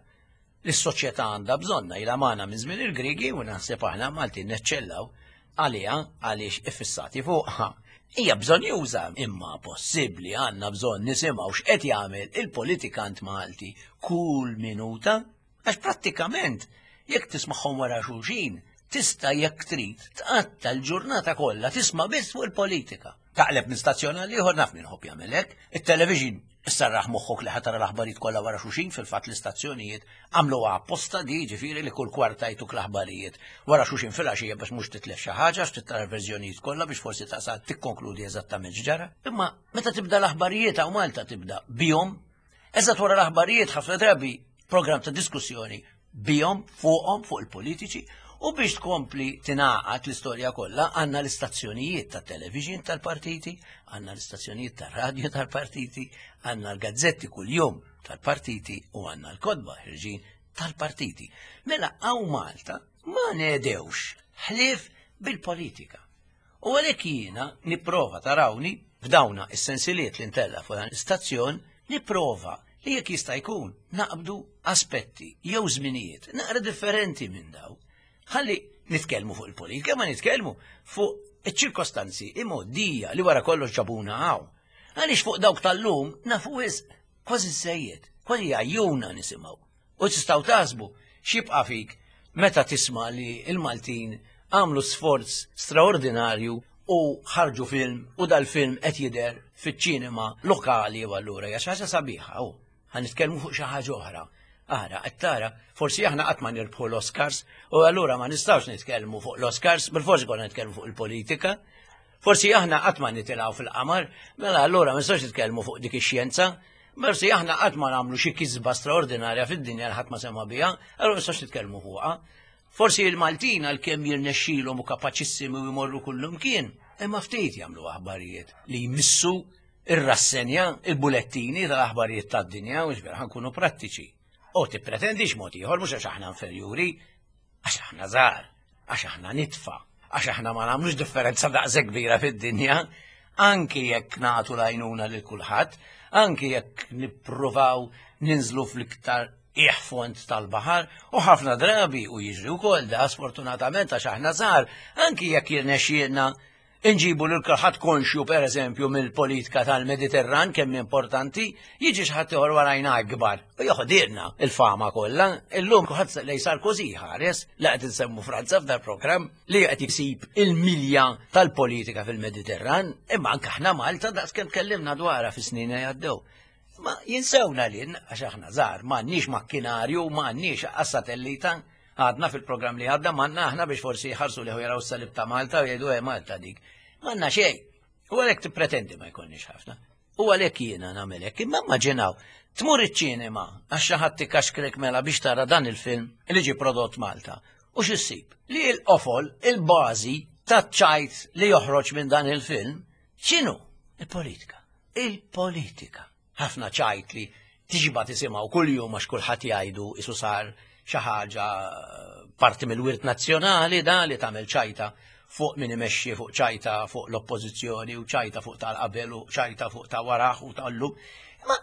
L-soċjetà għandha bżonna, ilha magħna minn żmien il-Grigi u naħseb aħna Maltin neċċellaw għaliha għaliex iffissati fuqha. Hija bżonnjuża, imma possibbli għandna bżonn nisimgħu x'qed jagħmel il-politikant Malti kull minuta? Għax prattikament jekk tismagħhom wara xulxin, tista', jekk trid, tqatta l-ġurnata kollha tisma' biss fuq il-politika. Taqleb minn stazzjon għal ieħor, naf min ħobb jagħmel hekk, it-television issarraħ moħħok li ħa tara l-aħbarijiet kollha wara xulxin. Fil-fatt l-istazzjonijiet għamlu apposta di, ġifieri li kull kwarta jtuk l-aħbarijiet wara xulxin fil-għaxija biex mhux titlef xi ħaġa, għax tara verżjonijiet kollha biex forsi tasal tikkonkludi eżattament x'ġara. Imma meta tibda l-aħbarijiet hawn Malta tibda bihom, eżatt wara l-aħbarijiet ħafna drabi program ta' diskussjoni bihom, fuqhom, fuq il-politiċi. U biex tkompli tingħaqad l-istorja kollha, għandna l-istazzjonijiet ta' television tal-partiti, għandna l-istazzjonijiet tar-radju tal-partiti, għandna l-gazzetti kuljum tal-partiti u għandna l-kotba ħerġin tal-partiti. Mela hawn Malta ma nedewx ħlief bil-politika. U għalhekk jiena nipprova, tarawni f'dawna is-sensiliet li ntella fuq dan l-istazzjon, nipprova li jekk jista' jkun naqbdu aspetti jew żminijiet naqra differenti minn daw. Ħalli nitkellmu fuq il-politika, ma nitkellmu fuq iċ-ċirkostanzi imgħoddija li wara kollox ġabuna hawn. Għaliex fuq dawk tal-lum nafu wisq, kważi żejjed, kważi għajjuna nisimgħu. U tistgħu taħsbu x'jibqa' fik meta tisma' li il-Maltin għamlu sforz straordinarju u ħarġu film u dal-film qed jidher fiċ-ċinema lokali, u allura hija xi ħaġa sabiħa u ħa nitkellmu fuq xi ħaġa oħra. Ara, qed tara, forsi aħna qatt ma nirbħu l-Oscars u allura ma nistgħux nitkellmu fuq l-Oscars, bil-forsi konna nitkellmu fuq il-politika. Forsi aħna qatt ma nitilgħu fil-qamar, mela allura ma nistgħux nitkellmu fuq dik ix-xjenza. Forsi aħna qatt ma nagħmlu xi kisba straordinarja fid-dinja li ħadd ma sema biha, allura ma nistgħux nitkellmu fuqha. Forsi il-Maltin għalkemm jirnexxilhom u kapaċissimi u jmorru kullum kien, imma ftit jagħmlu aħbarijiet li jmissu ir-rassenja, il-bulettini tal-aħbarijiet tad-dinja, u ġver ħa nkunu prattiċi. U tippretendix mod ieħor, mhux għax aħna inferjuri, għax aħna żgħar, għax aħna nitfa, għax aħna ma nagħmlux differenza daqshekk kbira fid-dinja. Anki jekk nagħtu l-għajnuna lil kulħadd, anki jekk nippruvaw ninżlu fl-iktar iħfond tal-baħar, u ħafna drabi u jiġri wkoll da sfortunatament għax aħna żgħar, anki jekk jirnexxielna inġibu lil kulħadd konxju pereżempju mill-politika tal-Mediterran kemm importanti, jiġi xi ħadd ieħor warajna akbar u joħodilna il-fama kollha. Illum kulħadd lej Sarkozy ħares li qed insemmu Franza f'dar programm li qed jsib il-milja tal-politika fil-Mediterran, imma anke aħna Malta daqs kemm tkellimna dwarha fis-snin li għaddew. Ma jinsewna li għax aħna żgħar, m'għandniex makkinarju, m'għandniex satellita. Għadna fil-programm li għadda m'għandna aħna biex forsi jħarsu li jaraw s-salib ta' Malta u jgħidu Malta dik. M'għandna xejn. U għalhekk tippretendi ma jkollniex ħafna. U għalhekk jiena nagħmel hekk. Imma immaġinaw, tmur iċ-ċinema għax xi ħadd tikaxkrek mela biex tara dan il-film li ġie prodott Malta. U x'issib? Li l-qofol, il-bażi taċ-ċajt li joħroġ minn dan il-film, x'inhu? Il-politika. Il-politika. Ħafna ċajt li tiġba tisimgħu kuljum għax kulħadd jgħidu isu sar xi ħaġa parti mill-wirt nazzjonali da li tagħmel ċajta fuq min imexxi, fuq ċajta fuq l-oppożizzjoni u ċajta fuq tal-qabel u ċajta fuq ta' waraħ u tal-lum. Ma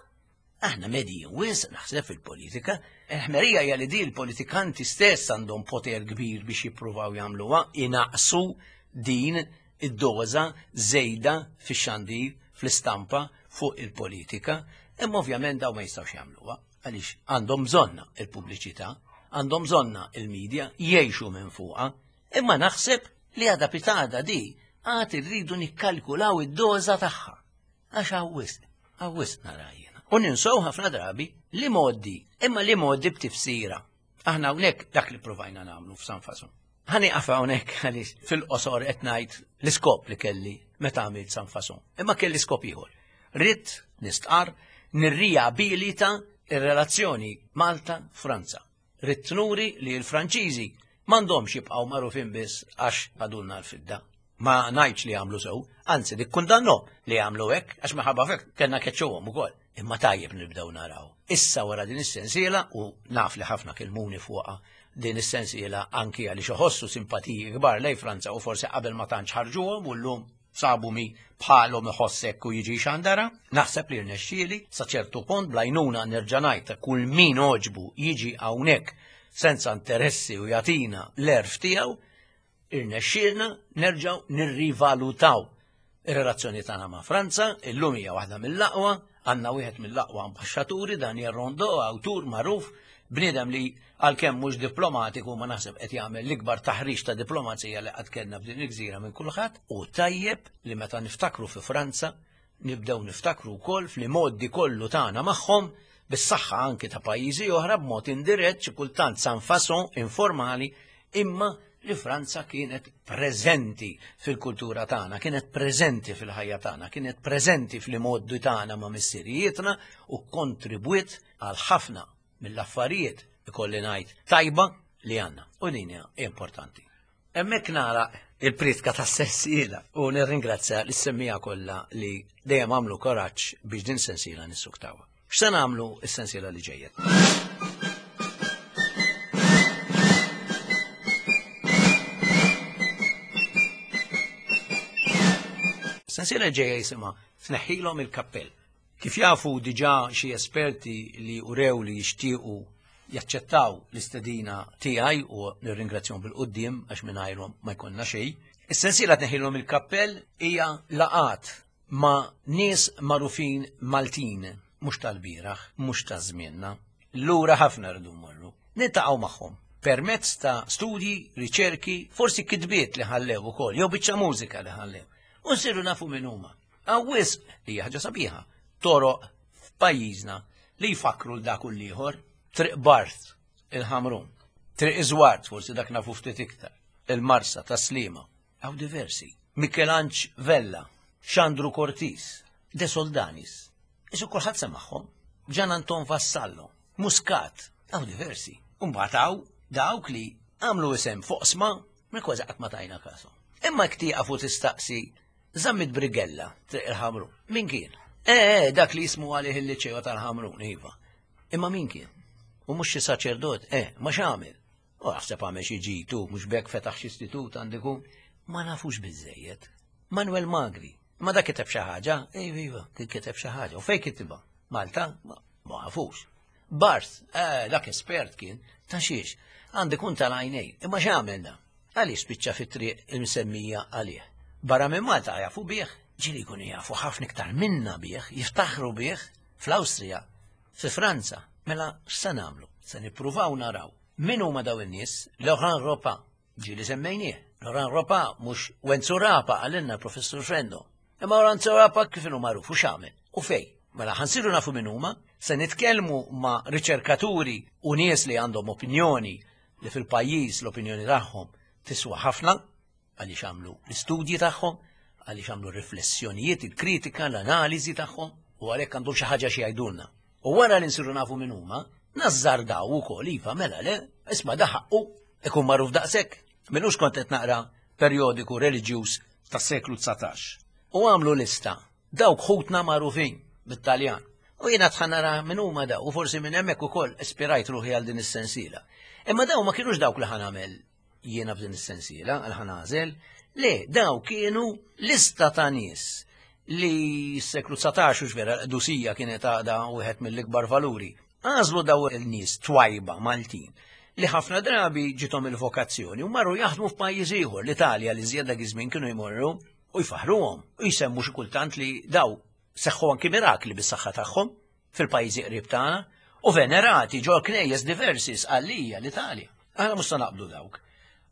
aħna medji wisq naħseb fil-politika. Il-ħmerija hija li di l-politikanti stess għandhom poter kbir biex jippruvaw jagħmluha, inaqsu din id-doża żejda fix-xandir, fl-istampa fuq il-politika, imma ovvjament daw ma jistgħux jagħmluha għaliex għandhom bżonna il-pubbliċità, għandhom bżonna il-medja, jgħixu minn fuqha, imma naħseb li għada pitada di għad irridu nikkalkulaw id-doża tagħha. Għax hawn wisq, hawn wisq nara jiena. U ninsew ħafna drabi li moddi, imma li moddi b'tifsira. Aħna hawnhekk dak li provajna nagħmlu f'San Fason. Ħa nieqaf hawnhekk għaliex fil-qosor qed ngħid l-iskop li kelli meta għamilt San Fason. Imma kelli skop ieħor. Ridt nistqar nirriabilita ir-relazzjoni Malta-Franza. Ridt nuri li l-Franċiżi m'għandhomx jibqgħu magħrufin biss għax għadulna l-fidda. Ma ngħidx li għamlu sew, anzi nikkundannu li għamlu hekk għax minħabba fek kellna keċċuhom ukoll. Imma tajjeb nibdew naraw. Issa wara din is-sensiela u naf li ħafna kelmuni fuqha din is-sensiela anki għaliex iħossu simpatiji kbar lej Franza u forsi qabel ma tantx ħarġuhom u llum sabu mi bħalhom iħossek u jiġi xandara. Naħseb li rnexxieli sa ċertu punt blajnuna nerġa' ngħid ta' kull min oġbu jiġi hawnhekk senza interessi u jagħtina l-erf tiegħu, irnexxielna nerġgħu nirrivalutaw ir-relazzjoni tagħna ma' Franza, illum hija waħda mill-aqwa, għandna wieħed mill-aqwa ambaxxaturi, Daniel Rondeau, awtur magħruf, bniedem li għalkemm mhux diplomatiku ma naħseb qed jagħmel l-ikbar taħriġ ta' diplomazija li qatt kellna f'din il-gżira minn kulħadd, u tajjeb li meta niftakru fi Franza nibdew niftakru wkoll fl-modi kollu tagħna magħhom bis-saħħa anki ta' pajjiżi oħra b'mod indirett xi kultant san fason informali, imma li Franza kienet preżenti fil-kultura tagħna, kienet preżenti fil-ħajja tagħna, kienet preżenti fl-modi tagħna ma' missirijietna u kontribwiet għal ħafna mill-affarijiet ikolli ngħid tajba li għandna. U din hija importanti. Hemmhekk nara il-pritka tas-sensiela u nirringrazzja lis-semmija kollha li dejjem għamlu koraġġ biex din sensiela nissuktawha. X'se nagħmlu s-sensiela li ġejja? Sensiela ġejja jisimha Tneħħilhom il-kappell. Kif jafu diġà xi esperti li urew li jixtiequ jaċċettaw l-istedina tiegħi u nirringrazzjahom bil-quddiem għax mingħajrhom ma jkollna xejn. Is-sensiela Tneħħilhom il-kappell hija laqat ma' nies magħrufin Maltin, mhux tal-bieraħ, mhux ta' żmienna. Lura ħafna rridu mmorru. Niltaqgħu magħhom permezz ta' studji, riċerki, forsi kitbiet li ħallew ukoll, jew biċċa mużika li ħallew. U nsiru nafu min huma. Hawn wisq li hija ħaġa sabiħa. Toroq f'pajjiżna li jfakru l dak u l-ieħor, Triq Barth, il-Ħamrun, Triq Iżwart, forsi dak nafu ftit iktar, il-Marsa ta' Sliema, hawn diversi. Mikelanġ Vella, Xandru Cortis, De Soldanis, isu kulħadd semagħhom, Gian Anton Vassallo, Muscat, hawn diversi. U mbagħad hawn dawk li għamlu isem fuq sma minn kważi qatt ma tajna kasu. Imma jekk tieqaf u tistaqsi Zammit Brigella, Triq il-Ħamrun, min kien? Eh, eh, dak li jismu għalih il-liċeo tal-Ħamrun, iva. Imma min kien? U mhux xi saċerdot, eh, ma x'għamel? U għafseb għamel xi ġitu, mhux bekk fetaħ xi istitut għandikum. Ma nafux biżejjed. Manuel Magri, Ma dak kiteb xi ħaġa, iva iva, kien kiteb xi ħaġa. U fejn kitibha? Malta? Ma nafux. Barth, eh, dak espert kien, ta' xiex, għandi kun tal-għajnej, imma x'għamel da? Għaliex spiċċa fit-triq il-msemmija għalih? Barra minn Malta jafu bih, ġieli jkunu jafu ħafna iktar minna bih, jiftaħru bih fl-Awstrija, fi Franza. Mela x'se nagħmlu? Se nippruvaw naraw min huma daw in-nies. Laurent Ropa, ġieli semmejnieh. Laurent Ropa mhux Wenzu Rapa għalinna Professur Frendo. Imma Wenzu Rapa kif inhu magħruf u x'għamel u fej. Mela ħa nsiru nafu min huma, se nitkellmu ma' riċerkaturi u nies li għandhom opinjoni li fil-pajjiż l-opinjoni tagħhom tiswa ħafna għaliex għamlu l-istudji tagħhom, għaliex għamlu riflessjonijiet, il-kritika, l-analiżi tagħhom u għalhekk għandhom xi ħaġa xi jgħidulna. U wara li nsiru nafu min huma, nażżardaw ukoll iva mela le, isma' da ħaqqu ikun magħruf daqshekk. M'ilux kont qed naqra perjodiku reliġjuż tas-seklu dsatax. U għamlu lista dawk ħutna magħrufin bit-Taljan. U jiena tħan nara min huma daw, u forsi minn hemmhekk ukoll ispirajt ruħi għal din is-sensiela. Imma daw ma kienux dawk li ħa nagħmel jiena f'din is-sensiela għal ħa nagħżel. Le, daw kienu lista ta' nies li s-seklu dsatax u vera l-qdusija kienet għadha wieħed mill-ikbar valuri. Għażlu daw il-nies twajba Maltin li ħafna drabi ġitom il-vokazzjoni u marru jaħdmu f'pajjiż ieħor, l-Italja li żjed dak iż-żmien kienu jmorru u jfaħruhom u jsemmu xi kultant li daw seħħu anki mirakli bis-saħħa tagħhom fil-pajjiżi qrib tagħna u venerati ġol knejjes diversi Sqallija l-Italja. Aħna mhux se naqbdu dawk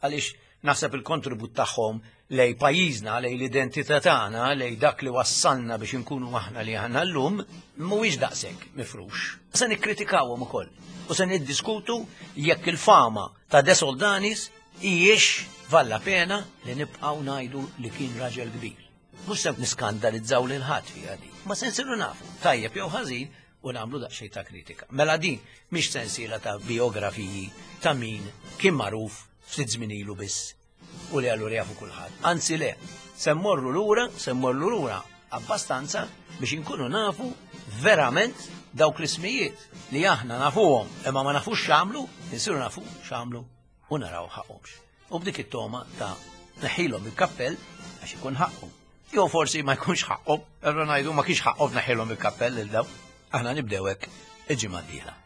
għaliex naħseb il-kontribut tagħhom lej pajjiżna, lej l-identità tagħna, lej dak li wassalna biex inkunu aħna li aħna llum, mhuwiex daqshekk mifrux. Se nikkritikawhom ukoll u se niddiskutu jekk il-fama ta' De Soldanis hijiex valla pena li nibqgħu ngħidu li kien raġel kbir. Mhux se niskandalizzaw lil ħadd fiha din, ma se nsiru nafu tajjeb jew ħażin u nagħmlu daqsxejn ta' kritika. Mela din mhix sensiela ta' biografiji ta' min kien magħruf ftit żmien ilu biss u li allura jafu kulħadd. Anzi le, se mmorru lura, se mmorru lura abbastanza biex inkunu nafu verament dawk l-ismijiet li aħna nafuhom imma ma nafux x'għamlu, insiru nafu x'għamlu u naraw ħaqhomx. U b'dik it-toma ta' neħilhom il-kappell għax ikun ħaqhom. Jew forsi ma jkunx ħaqhom, allura ngħidu ma kienx ħaqhom neħilhom il-kappell lil daw. Aħna nibdew hekk il-ġimgħa d-dieħla.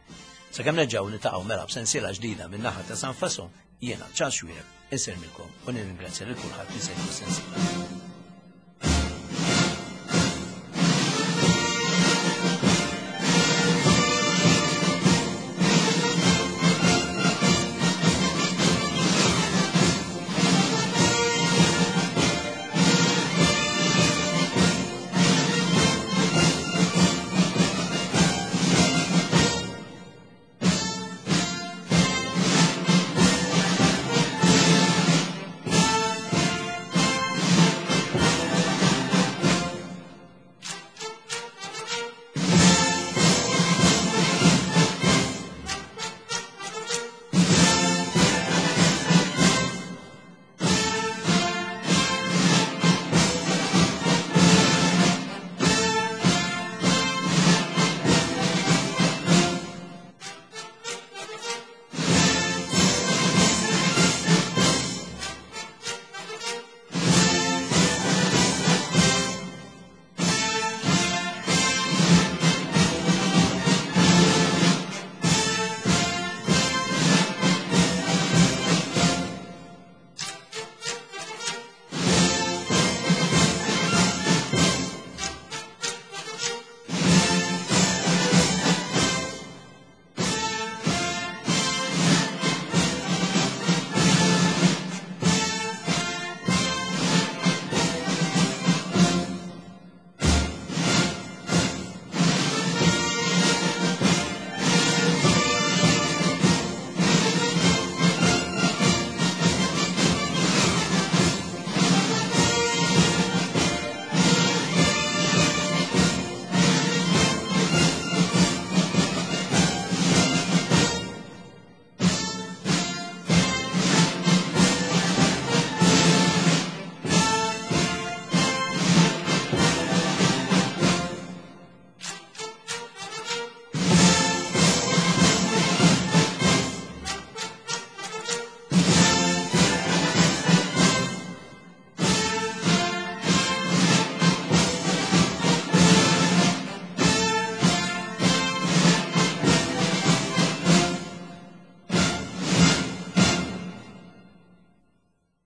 Sakemm nerġgħu niltaqgħu mela b'sensiela ġdida minn naħa ta' San Fason, jiena Charles Xuereb insellmilkom u nirringrazzja lil kulħadd li segwa s-sensiela.